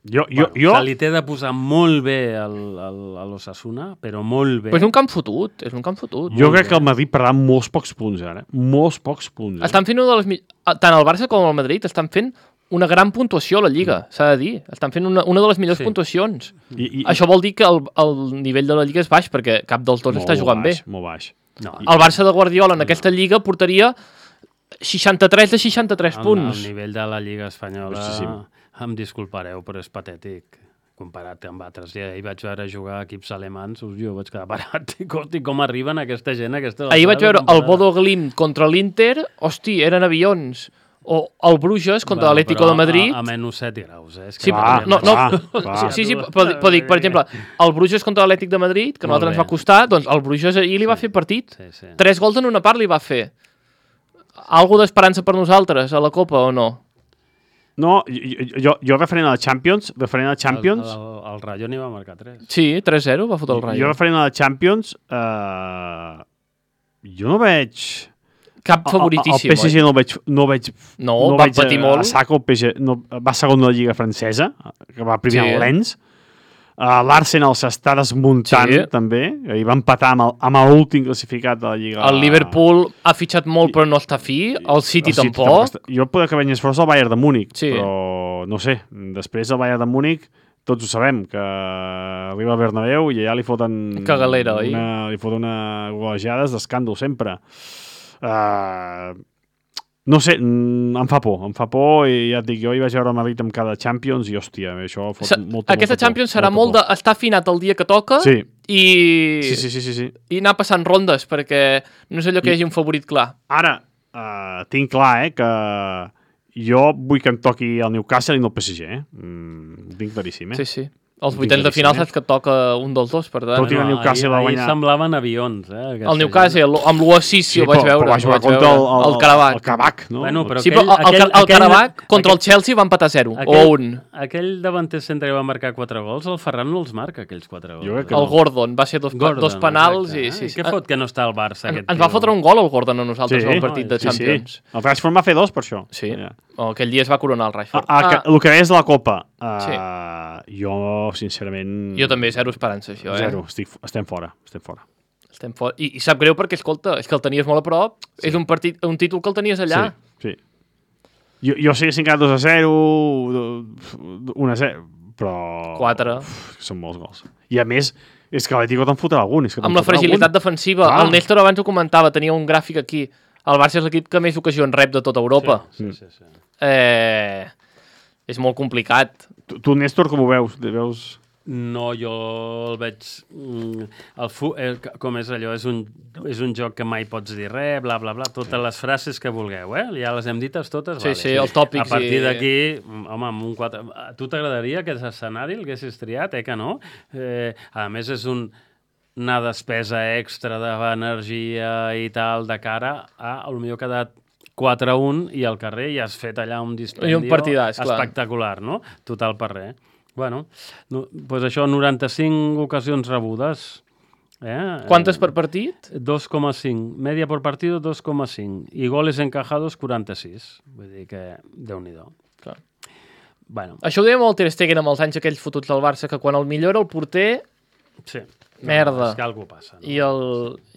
Jo, jo, bueno, jo... Se li té de posar molt bé al, al, a l'Osasuna, però molt bé. Però és un camp fotut, és un camp fotut. Jo crec bé. que el Madrid perdrà molts pocs punts, ara. Molts pocs punts. Eh? Estan fent una de les... Tant el Barça com el Madrid estan fent una gran puntuació a la Lliga, mm. s'ha de dir. Estan fent una, una de les millors sí. puntuacions. I, i, Això vol dir que el, el nivell de la Lliga és baix, perquè cap dels dos està jugant baix, bé. Molt baix. No. El Barça de Guardiola en no. aquesta Lliga portaria seixanta-tres de seixanta-tres el, punts. El nivell de la Lliga espanyola, Justíssim. em disculpareu, però és patètic comparat amb altres. Ja hi vaig veure jugar equips alemans, jo vaig quedar parat. Hosti, com arriben aquesta gent? Aquesta Ahir vaig veure el Bodo Glimt contra l'Inter, hosti, eren avions. O el Bruges contra bueno, l'Atlético de Madrid. A, a menys set graus, eh? És que sí, va, no, no, va, va. sí, sí, però, però dic, per exemple, el Bruges contra l'Atlètic de Madrid, que a nosaltres ens va costar, doncs el Bruges ahir li va sí, fer partit. Sí, sí. Tres gols en una part li va fer. Algo d'esperança per nosaltres a la Copa o no? No, jo, jo, jo referent a la Champions, referent a la Champions... El, el, el Rayo n'hi va marcar tres. Sí, tres zero va fotre el Rayo. Jo referent a la Champions, eh, jo no veig... cap favoritíssim, el P S G no el veig... No, el veig, No, no va veig patir a, molt. A saco, el P S G no, va segon de la Lliga francesa, que va primer Sí. al Lens. Uh, L'Arsenal s'està desmuntant, Sí. també. I va empatar amb el- amb l'últim classificat de la Lliga. El Liverpool ha fitxat molt però no està fi, el City El City tampoc. està- Jo poder que venyes fora el Bayern de Múnich, Sí. però no sé, després el Bayern de Múnich tots ho sabem, que arriba al Bernabéu i allà li foten... Cagalera, oi? una, li foten una golejades d'escàndol sempre. Uh, no sé, mm, em fa por, em fa por i ja et dic, jo hi vaig veure el Madrid amb cada Champions i hòstia, això fot Sa- molta, Aquesta molta Champions por, serà molt molta d'estar afinat el dia que toca por. Sí, i... sí, sí, sí, sí, sí. i anar passant rondes, perquè no és allò que hi hagi un favorit clar. Ara, uh, tinc clar, eh, que jo vull que em toqui el Newcastle i no el P S G, eh? Mm, ho tinc claríssim, eh? Sí, sí. Els Ho vuitens de tinc final claríssim, saps que et toca un dels dos, per tant. Tot i que el Newcastle va ahir, guanyar. ahir semblaven avions, eh? aquesta El Newcastle, gent. amb l'u a sis, sí, ho vaig veure. però va ho jugar vaig contra el, veure. el, el Karabakh. El Karabakh, no? Bueno, però Sí, però el, el, aquell- el, el aquell- Karabakh contra el aquell- Chelsea va empatar zero, o Aquell, un. aquell davanter centre que va marcar quatre gols, el Ferran no els marca, aquells quatre gols. Jo crec que El no. Gordon, va ser dos, Gordon, dos penals exacte, i... eh? Sí, sí. Què fot que no està al Barça, En, aquest ens va tio? fotre un gol el Gordon a nosaltres Sí, en el partit de sí, Champions. Sí. El Rashford va fer dos per això. Sí, Ja. oh, aquell dia es va coronar el Rashford. Ah, ah, el que és la Copa, uh, Sí. jo, sincerament... Jo també, zero esperança, això, eh? Zero, estic, estem fora, estem fora. Estem fora. I, I sap greu perquè, escolta, és que el tenies molt a prop, sí. És un, partit, un títol que el tenies allà. Sí, sí. Jo, jo sé que s'ha encara dos a zero, un a zero, però... Quatre. Uf, són molts gols. I a més, és que l'Atlético te'n fotrà algun. És que te'n Amb la fotrà fragilitat algun. defensiva. Ah. El Néstor abans ho comentava, tenia un gràfic aquí. El Barça és l'equip que més ocasions rep de tota Europa. Sí, sí, sí. Eh, és molt complicat. Tu, tu, Néstor, com ho veus? Veus... No, jo el veig... mm, El fu, eh, com és allò, és un, és un joc que mai pots dir res, bla, bla, bla, totes les frases que vulgueu, eh? Ja les hem dites totes. Sí, vale. sí, els tòpics A partir i- d'aquí, home, amb un quatre... A tu t'agradaria aquest escenari, el haguessis triat, eh, que no? Eh, a més, és un, una despesa extra d'energia i tal, de cara a, a lo millor ha quedat quatre a un i al carrer i has fet allà un dispendio I un partidàs, clar. espectacular, no? Total per res. Bueno, no, pues això, noranta-cinc ocasions rebudes. Eh? Quantes per partit? dos coma cinc. Media por partido, dos coma cinc. I goles encajados, quaranta-sis. Vull dir que, Déu-n'hi-do. Clar. Bueno, Això ho deia molt Ter Stegen amb els anys aquells fotuts del Barça, que quan el millor era el porter sí. Merda. No, és que alguna passa. No? i el,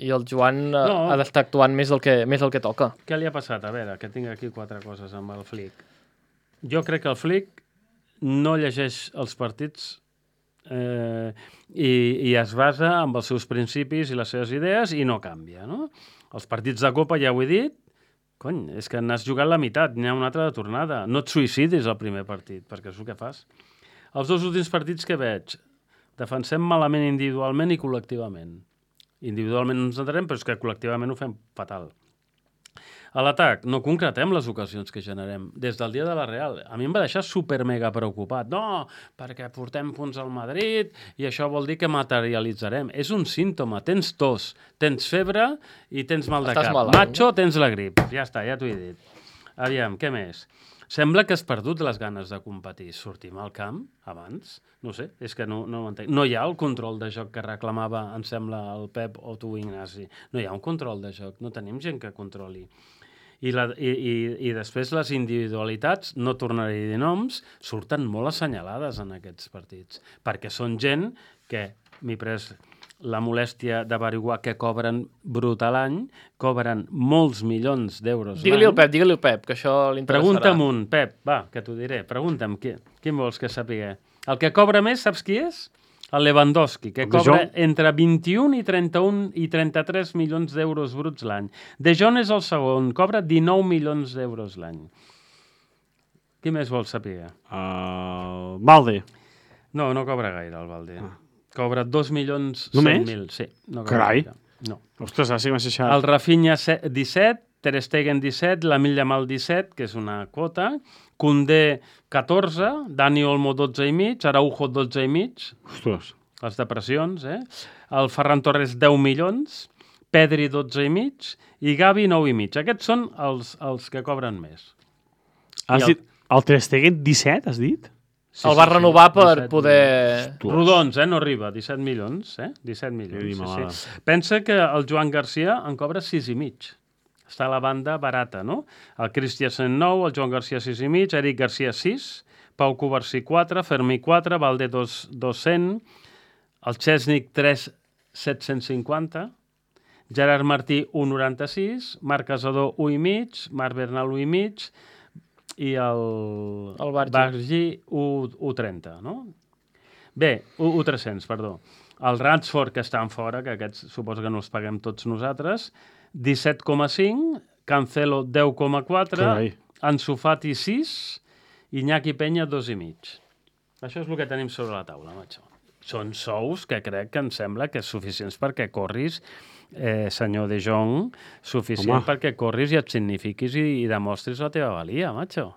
i el Joan no. No. ha d'estar actuant més del, que, més del que toca. Què li ha passat? A veure, que tinc aquí quatre coses amb el Flick. Jo crec que el Flick no llegeix els partits eh, i, i es basa amb els seus principis i les seves idees i no canvia, no? Els partits de Copa, ja ho he dit, cony, és que n'has jugat la meitat, n'hi ha una altra de tornada. No et suïcidis al primer partit, perquè és el que fas. Els dos últims partits que veig, defensem malament individualment i col·lectivament. Individualment no ens entenem, però és que col·lectivament ho fem fatal. A l'atac, no concretem les ocasions que generem. Des del dia de la Real, a mi em va deixar super mega preocupat. No, perquè portem punts al Madrid i això vol dir que materialitzarem. És un símptoma. Tens tos, tens febre i tens mal de Estàs cap. malalt. Macho, tens la grip. Ja està, ja t'ho he dit. Aviam, què més? Sembla que has perdut les ganes de competir. Sortim al camp abans? No sé, és que no, no ho entenc. No hi ha el control de joc que reclamava, em sembla, el Pep o tu, Ignasi. No hi ha un control de joc. No tenim gent que controli. I, la, i, i, i després les individualitats, no tornaré a dir noms, surten molt assenyalades en aquests partits, perquè són gent que m'he pres la molèstia d'averiguar que cobren brut a l'any, cobren molts milions d'euros l'any. Digue-li al Pep, digue-li al Pep, que això l'interessarà. Pregunta'm un, Pep, va, que t'ho diré. Pregunta'm, qui, quin vols que sàpiga? El que cobra més, saps qui és? El Lewandowski, que De cobra Jong. entre vint-i-un i trenta-un i trenta-tres milions d'euros bruts l'any. De Jong és el segon, cobra dinou milions d'euros l'any. Qui més vols saber? Uh, Valde. No, no cobra gaire el Valde. Cobra dos milions Només? cent mil. Sí, no cobra Carai. gaire. No. Ostres, ara sí que m'has deixat. El Rafinha se- disset, Ter Stegen disset, l'Emil Yamal disset, que és una quota, Koundé catorze, Dani Olmo dotze i mig, Araujo dotze i mig, Ostres. les depressions, eh? El Ferran Torres deu milions, Pedri dotze i mig i Gavi nou i mig. Aquests són els, els que cobren més. Has I el- dit... El Ter Stegen disset, has dit? Sí, El va sí, sí, renovar per disset poder... Rodons, eh? No arriba, disset milions, eh? disset milions, Que sí, malada. sí. Pensa que el Joan Garcia en cobra sis i mig. està a la banda barata, no? El Christiansen nou, el Joan Garcia sis i mig, Eric Garcia sis, Pau Covarsí quatre, Fermí quatre, Valde dos cents, el Chesnik tres set-cents cinquanta, Gerard Martí un noranta-sis, Marc Casador un i mig, Marc Bernal un i mig i el, el Bargi, Bargi un trenta, no? Bé, un tres-cents, perdó. El Ransford, que estan fora, que aquests suposo que no els paguem tots nosaltres, disset coma cinc, Cancelo deu coma quatre, Ansu Fati sis, Iñaki Peña dos i mig. Això és el que tenim sobre la taula, macho. Són sous que crec que em sembla que és suficients perquè corris, eh, senyor De Jong, suficient Home. perquè corris i et signifiquis i, i demostris la teva valia, macho.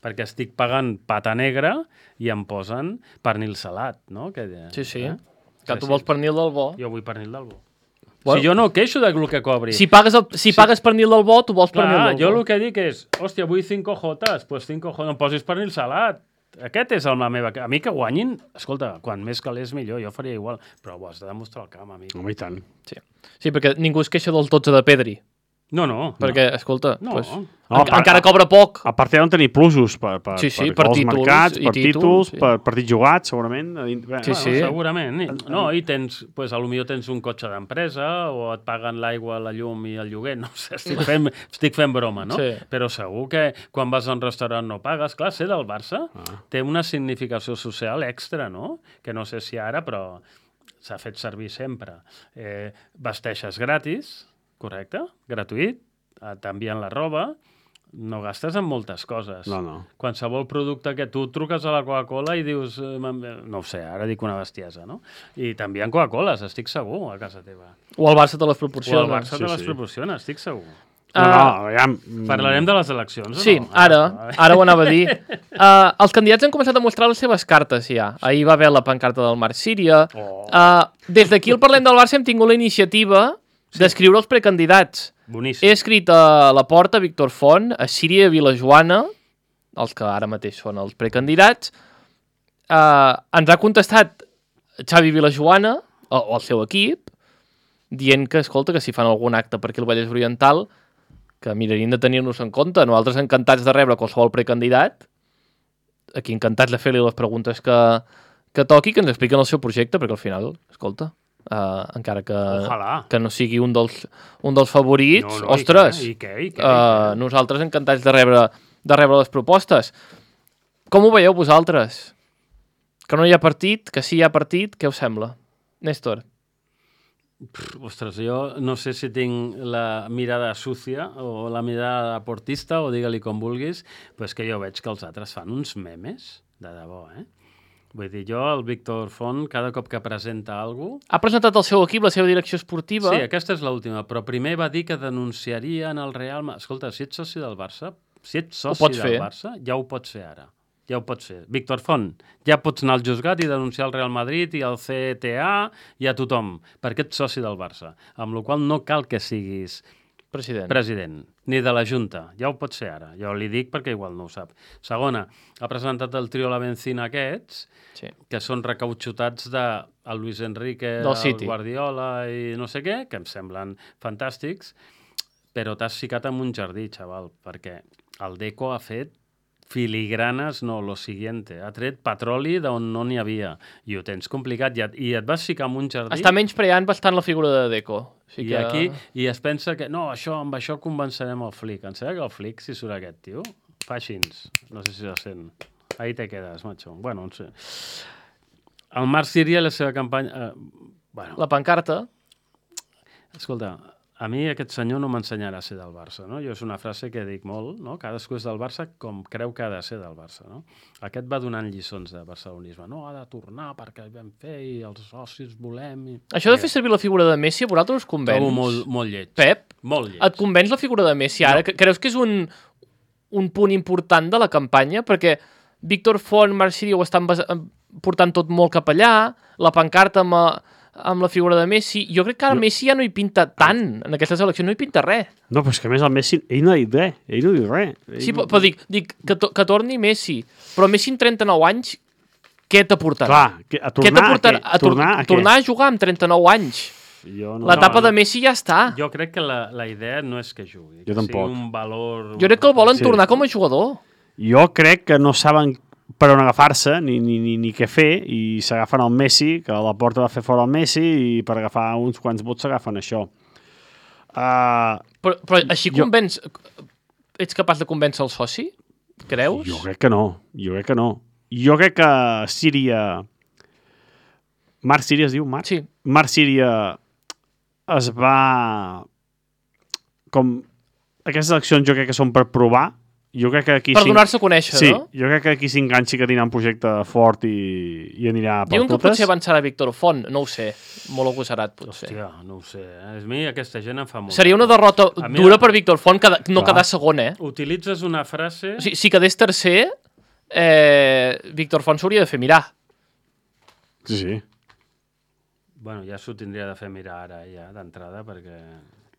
Perquè estic pagant pata negra i em posen pernil salat, no? Que, sí, sí. Eh? Que tu vols pernil del bo. Jo vull pernil del bo. Bueno, si jo no queixo del que cobri. Si pagues, el, si sí. pagues pernil del bo, tu vols Clar, pernil del jo bo. el que dic és, hòstia, vull cinco jotes, pues cinco jotes, no em posis pernil salat. Aquest és el, la meva... A mi que guanyin, escolta, quan més calés millor, jo faria igual, però ho has de demostrar al camp, amic. Home, i tant. Sí. sí, perquè ningú es queixa del totze de Pedri. No, no. Perquè, no. escolta, no. pues, no, en, part, encara cobra poc. A part, ja no tenir plusos per, per, sí, sí, per, per per títols, mercats, per títols, títols sí. per partits jugats, segurament. Sí, bueno, sí. Segurament. No, i tens, pues, potser tens un cotxe d'empresa o et paguen l'aigua, la llum i el lloguer, no sé, estic fent, estic fent broma, no? Sí. Però segur que quan vas a un restaurant no pagues. Clar, ser del Barça ah. té una significació social extra, no? Que no sé si ara, però s'ha fet servir sempre. Eh, vesteixes gratis, correcte? Gratuït. T'envien la roba, no gastes en moltes coses. No, no. Qualsevol producte que tu truques a la Coca-Cola i dius, no ho sé, ara dic una bestiesa, no? I t'envien Coca-Coles, estic segur, a casa teva. O el Barça te les proporciona. O el Barça sí, te les sí. proporciona, estic segur. No, no, ja... Parlarem de les eleccions, sí, o no? ara, ara ho anava a dir. Uh, els candidats han començat a mostrar les seves cartes, ja. Ahir va haver la pancarta del Marc Síria. Oh. Uh, des d'aquí al Parlem del Barça hem tingut la iniciativa sí. d'escriure els precandidats. Boníssim. He escrit a la Porta, Víctor Font, a Síria i a Vilajoana, els que ara mateix són els precandidats. Uh, ens ha contestat Xavi Vilajoana, o, o el seu equip, dient que, escolta, que si fan algun acte per aquí al Vallès Oriental, que mirarien de tenir-nos en compte. Nosaltres encantats de rebre qualsevol precandidat, aquí encantats de fer-li les preguntes que, que toqui, que ens expliquen el seu projecte, perquè al final, escolta... Uh, encara que, que no sigui un dels, un dels favorits, no, no, ostres, i què, i què, i què, uh, nosaltres encantats de rebre, de rebre les propostes. Com ho veieu vosaltres? Que no hi ha partit, que sí hi ha partit, què us sembla? Néstor? Pff, ostres, jo no sé si tinc la mirada sucia o la mirada portista, o digue-li com vulguis, però és que jo veig que els altres fan uns memes, de debò, eh? Vull dir, jo, el Víctor Font, cada cop que presenta alguna cosa... Ha presentat el seu equip, la seva direcció esportiva... Sí, aquesta és l'última, però primer va dir que denunciarien el Real... Escolta, si ets soci del Barça, si ets soci del fer. Barça, ja ho pots fer ara. Ja ho pots fer. Víctor Font, ja pots anar al juzgat i denunciar el Real Madrid i el C T A i a tothom, perquè ets soci del Barça. Amb la qual cosa no cal que siguis... President. President, ni de la Junta. Ja ho pots fer ara. Jo li dic perquè igual no ho sap. Segona, ha presentat el trio La Benzina aquests, sí. que són recautxutats de el Luis Enrique, del el City. Guardiola i no sé què, que em semblen fantàstics, però t'has ficat en un jardí, xaval, perquè el Deco ha fet filigranes, no, lo siguiente. Ha tret petroli d'on no n'hi havia. I ho tens complicat. I et, i et vas ficar en un jardí... Està menyspreant bastant la figura de Deco. I que... aquí, i es pensa que, no, això, amb això convencerem el Flick. Em sembla que el Flick, si surt aquest tio, fa així. No sé si se sent. Ahí te quedes, macho. Bueno, no sé. El Marc Síria i la seva campanya... Eh, bueno. La pancarta. Escolta, a mi aquest senyor no m'ensenyarà a ser del Barça, no? Jo és una frase que dic molt, no? Cadascú és del Barça com creu que ha de ser del Barça, no? Aquest va donant lliçons de barcelonisme. No, ha de tornar perquè vam fer i els socis volem... I... Això de fer servir la figura de Messi, a vosaltres us convenç? Trobo molt, molt lleig. Pep, molt lleig. Et convenç la figura de Messi ara? No. Creus que és un, un punt important de la campanya? Perquè Víctor Font, Marc Síria ho estan portant tot molt cap allà, la pancarta amb... A... amb la figura de Messi, jo crec que ara no. Messi ja no hi pinta tant, en aquesta selecció no hi pinta res. No, però és que a més el Messi, ell no ha dit res, ell no diu res. Ell... Sí, però, però dic, dic que, to, que torni Messi, però Messi en trenta-nou anys, què t'aportarà? Clar, que, a tornar, què a, a, què? a, tor tornar, a, tornar a jugar amb trenta-nou anys. Jo no, L'etapa no, de Messi ja està. Jo crec que la, la idea no és que jugui, Jo que tampoc. sigui un valor... Jo crec que el volen Sí. tornar com a jugador. Jo crec que no saben per on agafar-se ni, ni, ni, ni què fer i s'agafen el Messi, que la porta va fer fora el Messi i per agafar uns quants vots s'agafen això. Uh, Però, però així Jo- convenç... Ets capaç de convèncer el soci? Creus? jo crec que no, jo crec que no. Jo crec que Síria... Marc Síria es diu? Marc? Sí. Marc Síria es va... Com... Aquestes eleccions jo crec que són per provar. Jo crec que aquí... Per cinc- donar-se a conèixer, Sí, no? jo crec que aquí s'enganxi que tindrà un projecte fort i, i anirà per Diuen que totes. potser avançarà Víctor Font, no ho sé. Molt agosarat, potser. Hòstia, no ho sé. Eh? A mi aquesta gent em fa molt... Seria una derrota A mi dura la- per Víctor Font, que no Clar. quedar segon, eh? Utilitzes una frase... O sigui, si quedés tercer, eh, Víctor Font s'hauria de fer mirar. Sí, sí. Bueno, ja s'ho tindria de fer mirar ara, ja, d'entrada, perquè...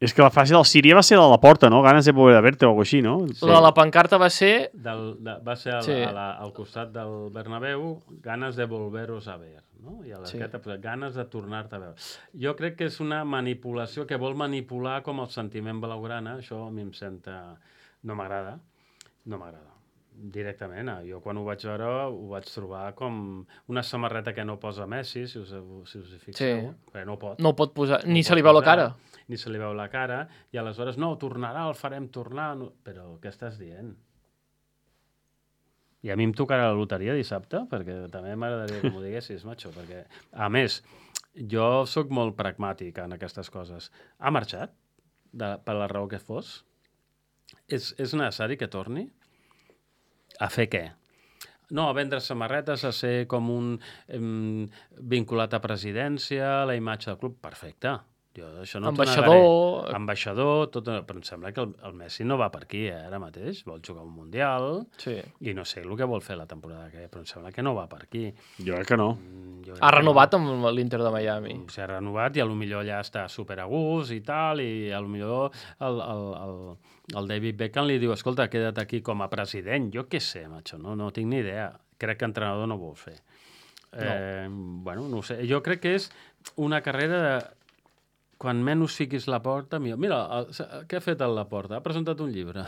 És que la frase del Síria va ser la de la porta, no? Ganes de poder verte o alguna així, no? Sí. La de la pancarta va ser... Del, de, va ser al, Sí. a la, al costat del Bernabéu, ganes de volveros a ver, no? I a l'esquerra, sí. ganes de tornar-te a veure. Jo crec que és una manipulació que vol manipular com el sentiment blaugrana, això a mi em senta... No m'agrada, no m'agrada. Directament, eh? Jo quan ho vaig veure ho vaig trobar com una samarreta que no posa Messi, si us, si us hi fixeu, Sí. perquè no pot. No ho pot posar... No Ni ho se li pot veu la posar, cara. Ni se li veu la cara, i aleshores, no, tornarà, el farem tornar... No... Però què estàs dient? I a mi em tocarà la loteria dissabte, perquè també m'agradaria que m'ho diguessis, macho, perquè, a més, jo sóc molt pragmàtic en aquestes coses. Ha marxat, de, per la raó que fos? És, és necessari que torni? A fer què? No, a vendre samarretes, a ser com un em, vinculat a presidència, a la imatge del club, perfecte. Jo això no t'ho Ambaixador. negaré. Ambaixador, tot, però em sembla que el, el Messi no va per aquí, eh, ara mateix. Vol jugar un Mundial Sí. i no sé el que vol fer la temporada que ve, però em sembla que no va per aquí. Jo crec que no. Mm, jo crec Ha que renovat amb l'Inter de Miami. no. S'ha renovat i a lo millor ja està super a gust i tal, i a lo millor el, el, el, el David Beckham li diu, escolta, queda't aquí com a president. Jo què sé, macho, no, no tinc ni idea. Crec que entrenador no vol fer. Eh, bueno, no ho sé. Jo crec que és una carrera de quan menys fiquis la porta, millor. Mira, el, què ha fet el Laporta? Ha presentat un llibre.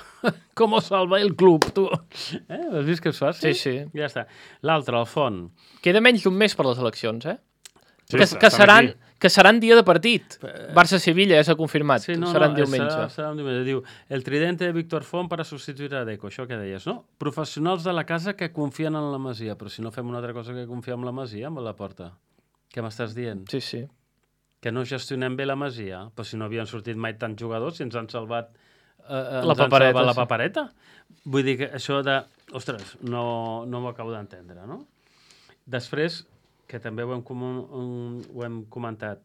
Com salva el club, tu? Eh? Has vist que és fàcil? Sí, sí. Ja està. L'altre, el Font. Queda menys d'un mes per les eleccions, eh? Sí, que, estan que, seran, aquí. que seran dia de partit. Barça-Sevilla, ja s'ha confirmat. Sí, no, seran no, diumenge. Serà, serà un diumenge. Diu, el tridente de Víctor Font per a substituir a Deco. Això que deies, no? Professionals de la casa que confien en la Masia. Però si no fem una altra cosa que confiar en la Masia, amb la porta. Què m'estàs dient? Sí, sí. Que no gestionem bé la Masia? Però si no havien sortit mai tants jugadors, si ens han salvat, eh, ens La han papereta, salvat la sí. papereta. Vull dir que això de... Ostres, no, no m'ho acabo d'entendre, no? Després, que també ho hem, com, un, ho hem comentat,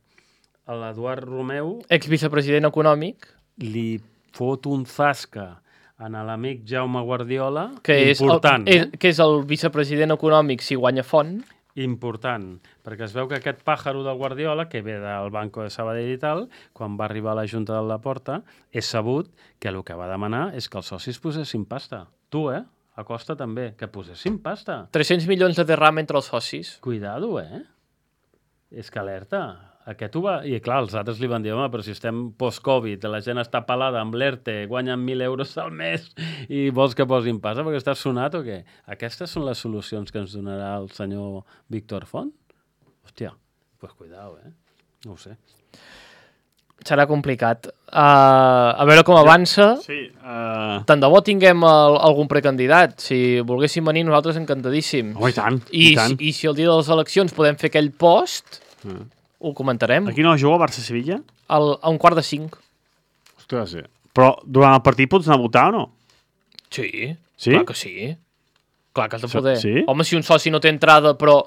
l'Eduard Romeu Ex-vicepresident econòmic, li fot un zasca a l'amic Jaume Guardiola, que és, el, important, és, eh? que és el vicepresident econòmic si guanya Font. important, perquè es veu que aquest pàjaro del Guardiola, que ve del Banco de Sabadell i tal, quan va arribar a la Junta de la Porta, és sabut que el que va demanar és que els socis posessin pasta. Tu, eh? A Costa també, que posessin pasta. tres-cents milions de derram entre els socis. Cuidado, eh? És que alerta. Aquest ho va... I clar, els altres li van dir, home, però si estem post-Covid, la gent està pelada amb l'E R T E, guanyen mil euros al mes i vols que posin pasta perquè estàs sonat o què? Aquestes són les solucions que ens donarà el senyor Víctor Font? Hòstia, pues cuidado, eh? No ho sé. Serà complicat. Uh, a veure com avança. Sí, uh... Tant de bo tinguem el, algun precandidat. Si volguéssim venir, nosaltres encantadíssims. Oh, i tant, I, i tant. si, I si el dia de les eleccions podem fer aquell post, Uh. ho comentarem. Aquí no juga Barça-Sevilla? Al, a un quart de cinc. Ostres, sí. Però durant el partit pots anar a votar o no? Sí, Sí? clar que sí. Clar que has de poder. Sí? Home, si un soci no té entrada però,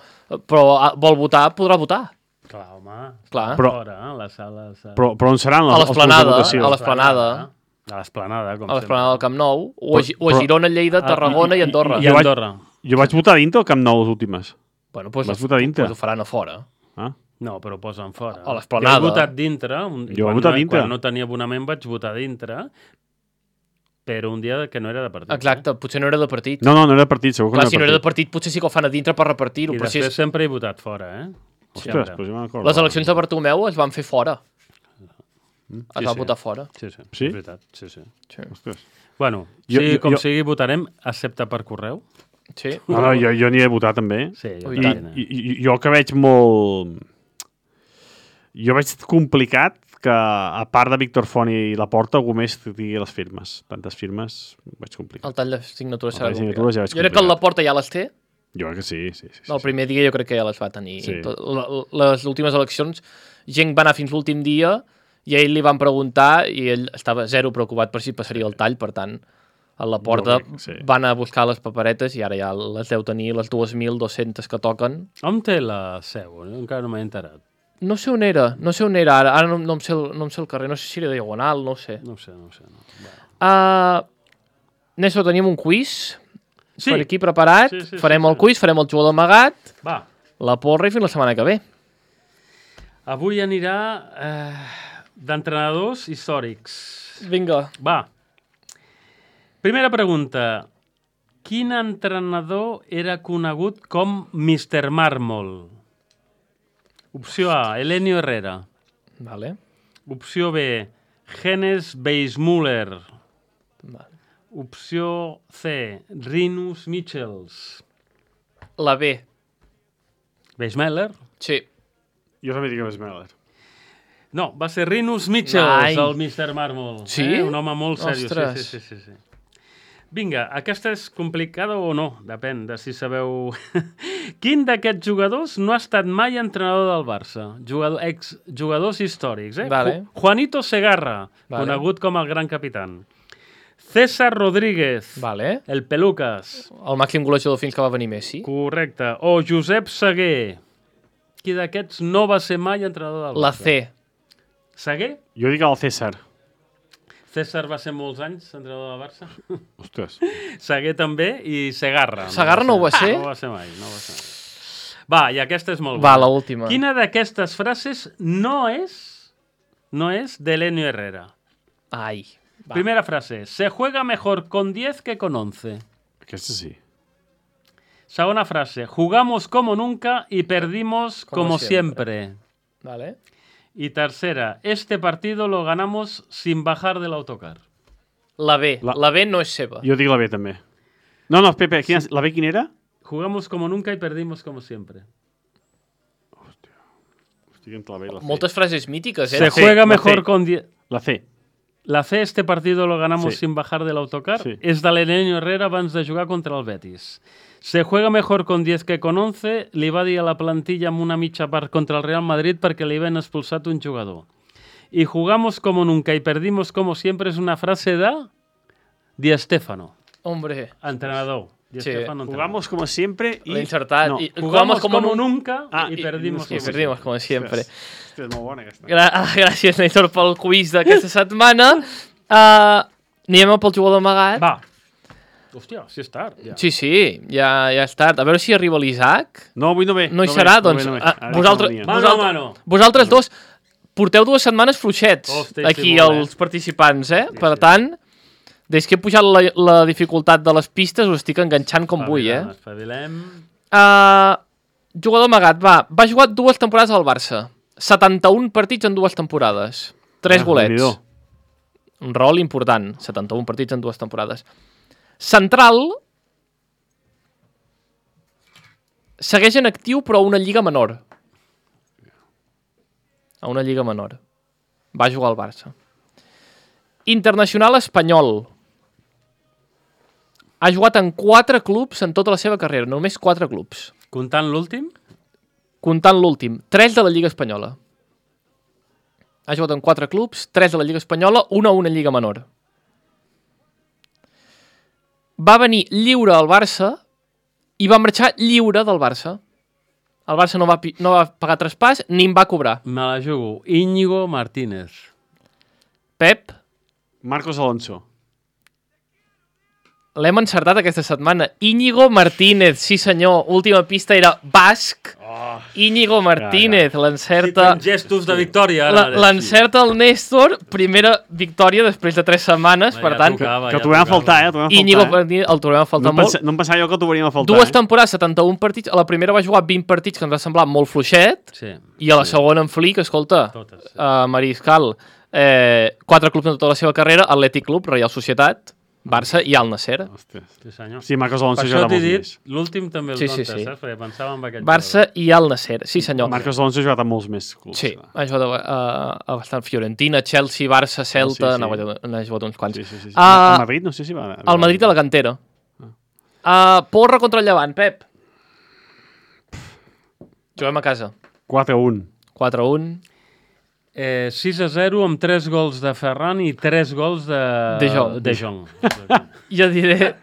però vol votar, podrà votar. Clar, home. Clar. Però- Fora, eh? Les sales... eh? Però, però on seran A les, els punts de l'esplanada, votació? a l'esplanada. A l'esplanada, com A l'esplanada del sempre. Camp Nou, o a, Gi- o a Però- Girona, Lleida, Ah, Tarragona i, i- Andorra. I Jo vaig- Andorra. Jo vaig votar a dintre al Camp Nou les últimes. Bueno, doncs, Vas votar a dintre? Doncs ho faran a fora. Ah? No, però posen fora. A l'esplanada. Jo he votat dintre. Un, Jo he quan votat no, dintre. Quan no tenia abonament vaig votar dintre, però un dia que no era de partit. Exacte, potser no era de partit. No, no, no era partit, segur que Clar, no si no era era de partit. partit, potser sí que ho fan a dintre per repartir-ho. I Però si després és... sempre he votat fora, eh? Ostres, Sempre. però jo me'n recordo. Les eleccions de Bartomeu es van fer fora. Es Sí, va sí. votar fora. Sí, sí, Sí? és veritat. Sí, sí. Sí. Ostres. Bueno, Jo- sí, jo- com jo- sigui, votarem accepta per correu. Sí. No, no, jo, jo n'hi he votat també. Sí, jo Ui, I, tant. també. i, i jo que veig molt... Jo veig complicat que, a part de Víctor Font i Laporta, algú més tingui les firmes. Tantes firmes, ho veig complicat. El tall de signatures El serà tall de signatures ja complicat. veig Jo crec que el complicat. Laporta ja les té. Jo crec que sí, sí. sí, sí. El primer dia jo crec que ja les va tenir. Sí. Tot, la- les últimes eleccions, gent va anar fins l'últim dia i a ell li van preguntar i ell estava zero preocupat per si passaria el tall, per tant, a la porta Jo crec que sí. van anar a buscar les paperetes i ara ja les deu tenir, les dos mil dos-centes que toquen. On té la seu? Encara no m'he enterat. No sé on era, no sé on era ara, ara no, no, em sé el, no em sé el carrer, no sé si era Diagonal, no ho sé. No ho sé, no ho sé. No. Bueno. Uh, Néstor, tenim un quiz Sí. per aquí preparat, Sí, sí, farem sí, el sí. quiz, farem el jugador amagat, Va, la porra i fins la setmana que ve. avui anirà eh, d'entrenadors històrics. Vinga. Va. Primera pregunta. Quin entrenador era conegut com mister Mármol? Opció A, Elenio Herrera. Vale. Opció B, Hennes Weissmuller. Vale. Opció C, Rinus Michels. La B. Weissmuller? Sí. Jo també dic que és Meller. No, va ser Rinus Michels, Ai. el mister Mármol. Sí? Eh? Un home molt seriós. Ostres. Sí, sí, sí, sí, sí. Vinga, aquesta és complicada o no? Depèn de si sabeu... Quin d'aquests jugadors no ha estat mai entrenador del Barça? Jugador, ex jugadors històrics, eh? Vale. Ju- Juanito Segarra, Vale. conegut com el gran capitán. César Rodríguez, Vale. el Pelucas, El màxim golejador fins que va venir Messi. correcte. O Josep Seguer. Qui d'aquests no va ser mai entrenador del La Barça? C. Seguer? Jo dic el César. César va ser molts anys entrenador del Barça. Ostres. Seguer també i Segarra. Segarra no ho va ser? No va ser mai, no va ser mai. Va, i aquesta és molt Va, bona. l'última. Quina d'aquestes frases no és no és de Elenio Herrera? Ai. Va. Primera frase. Se juega mejor con diez que con once. Aquesta sí. Segona frase. Jugamos como nunca y perdimos Como como, siempre. siempre. Vale. Y tercera. Este partido lo ganamos sin bajar del autocar. La B. La- La, B no és seva. Jo dic la B també. No, no, Pepe, quina, la B quina era? Jugamos como nunca y perdimos como siempre. Estic entre la B i la C. Moltes frases mítiques, eh? Se C, juega la mejor C. con diez... La C. La C, este partido lo ganamos Sí. sin bajar del autocar, Sí. és de l'Elenio Herrera abans de jugar contra el Betis. Se juega mejor con diez que con once, li va dir a la plantilla amb una mitja part contra el Real Madrid perquè li havien expulsat un jugador. Y jugamos como nunca y perdimos como siempre és una frase de Di Stéfano, Hombre, entrenador. Di Sí. Stéfano, entrenador. Jugamos como siempre y... l'he encertat. No. I, Jugamos como, nun- nunca Ah, y i- perdimos I como perdimos, com sempre. Hòstia, és molt bona aquesta. Gra ah, gràcies, Néstor, pel quiz d'aquesta setmana. Uh, anem pel jugador amagat. Va. Hòstia, sí és tard. Ja. Sí, sí, ja, ja és tard. A veure si arriba l'Isaac. No, avui no ve. No hi ve, serà, no doncs. ve, no ve. ah, Ara vosaltres, que venia. Mano a vosaltres, mano. vosaltres dos porteu dues setmanes fluixets Hosti, aquí sí, molt bé. els participants, eh? Sí, Per sí. tant, des que he pujat la, la dificultat de les pistes us estic enganxant com vull, eh? Espavilem. Uh, jugador amagat, va. Va jugar dues temporades al Barça. setanta-un partits en dues temporades. Tres Ah, golets. Déu-n'hi-do. Un rol important. setanta-un partits en dues temporades. Central. Segueix en actiu, però a una lliga menor. A una lliga menor. Va jugar al Barça. Internacional espanyol. Ha jugat en quatre clubs en tota la seva carrera. Només quatre clubs. Comptant l'últim? Comptant l'últim. Tres de la Lliga Espanyola. Ha jugat en quatre clubs, tres de la Lliga Espanyola, una a una Lliga menor. Va venir lliure al Barça i va marxar lliure del Barça. El Barça no va, pi- no va pagar traspàs ni en va cobrar. Me la jugo. Íñigo Martínez. Pep, Marcos Alonso. l'hem encertat aquesta setmana. Íñigo Martínez, sí senyor. Última pista era basc. Oh. Íñigo Martínez, l'encerta... gestos de victòria. La- L'encerta el Néstor, primera victòria després de tres setmanes, per tant, Que t'ho vam a faltar, eh? T'ho vam a Íñigo faltar, eh? Martínez el trobem a faltar No, molt. pensa, no em pensava jo que t'ho veuríem a faltar, Dues eh? temporades, setanta-un partits. A la primera va jugar vint partits, que ens va semblar molt fluixet, Sí. i a la segona en flic, escolta, Totes, sí. uh, Mariscal, Eh, quatre clubs en tota la seva carrera, Atlètic Club, Reial Societat, Barça i Al Nassr. Hòstia, sí senyor. Sí, Marcos Alonso Per juga això t'he molts dit, més. l'últim també el Sí, sí, sí, sí, sí. saps? Perquè pensava en aquest Barça i Al Nassr, sí senyor. Marcos Alonso ha jugat a molts més clubs. Sí, ha jugat a, a, a bastant Fiorentina, Chelsea, Barça, Celta, sí, sí. n'ha sí. jugat uns quants. Sí, sí, sí. sí. Ah, el Madrid no sé si va... El Madrid a la cantera. Uh, porra contra el Llevant, Pep. Juguem a casa. quatre a un. quatre a un. Eh, sis a zero amb tres gols de Ferran i tres gols de... De Jong. De Jong. Jo diré...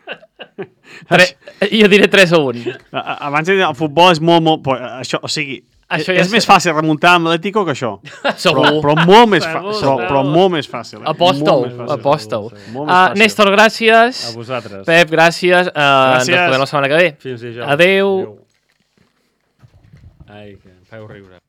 Tre... Jo diré tres a un. Abans de dir, el futbol és molt, molt... però Això, o sigui, Això és, ja és sé- més fàcil remuntar amb l'Atlético que això. Segur. Però, però molt més Segur, fàcil. Però, segur. però molt més fàcil. Eh? Aposta-ho, Molt més fàcil. aposta-ho. Molt més Uh, fàcil. Néstor, gràcies. A vosaltres. Pep, gràcies. Uh, ens Gràcies. veurem la setmana que ve. Fins dijous. Adeu. Ai, que em feu riure.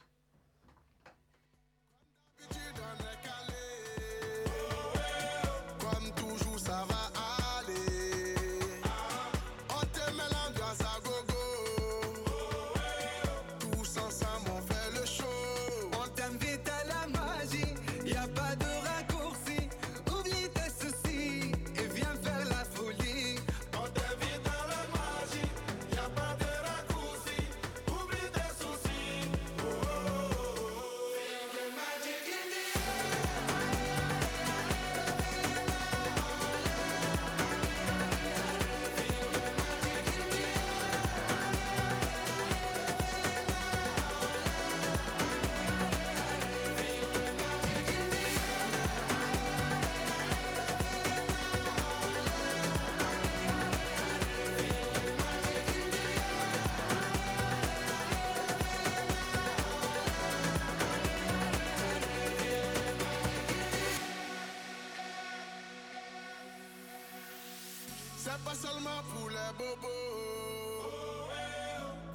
C'est pas seulement pour les bobos.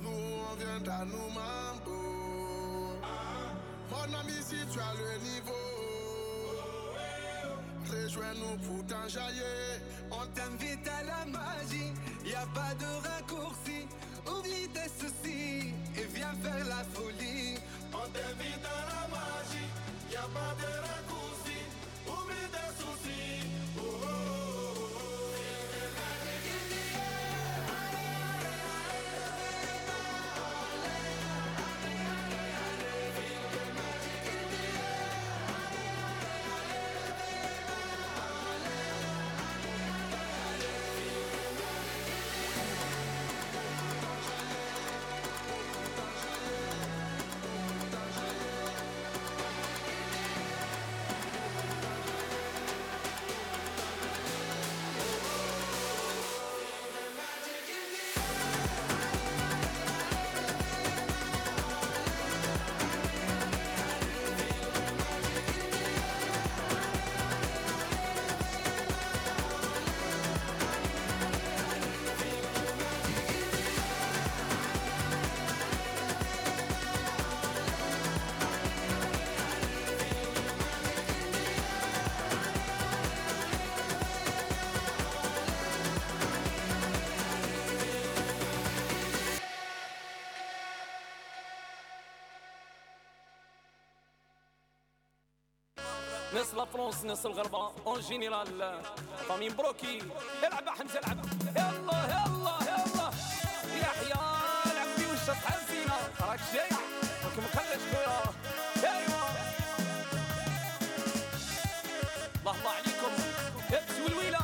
Nous on viendra nous mambo. Mon ami, si tu as le niveau, rejoins-nous pour t'enjailler. On t'invite à la magie, y a pas de raccourci. Oublie tes soucis et viens faire la folie. On t'invite à la magie, y a pas de raccourci. Oublie tes soucis. Oh, oh, oh, oh. ناس لا فرنسا ناس الغربة اون جينيرال فامين بروكي العب يا حمزة العب يلا يلا يلا يحيى العب بي وش تحزينا راك جاي راك مخلش خويا ايوا الله الله عليكم ابس والويلة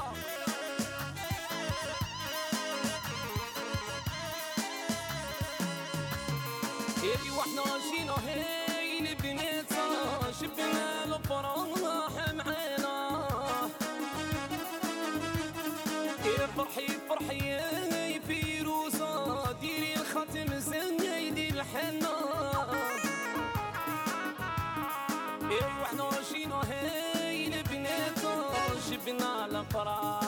ايوا احنا جينا هاي لبنيتها شفنا الفرح معانا فرحي فرحي فيروزة ديري الخاتم زيدي الحنة ايوا احنا جينا هاي لبنيتها شفنا الفرح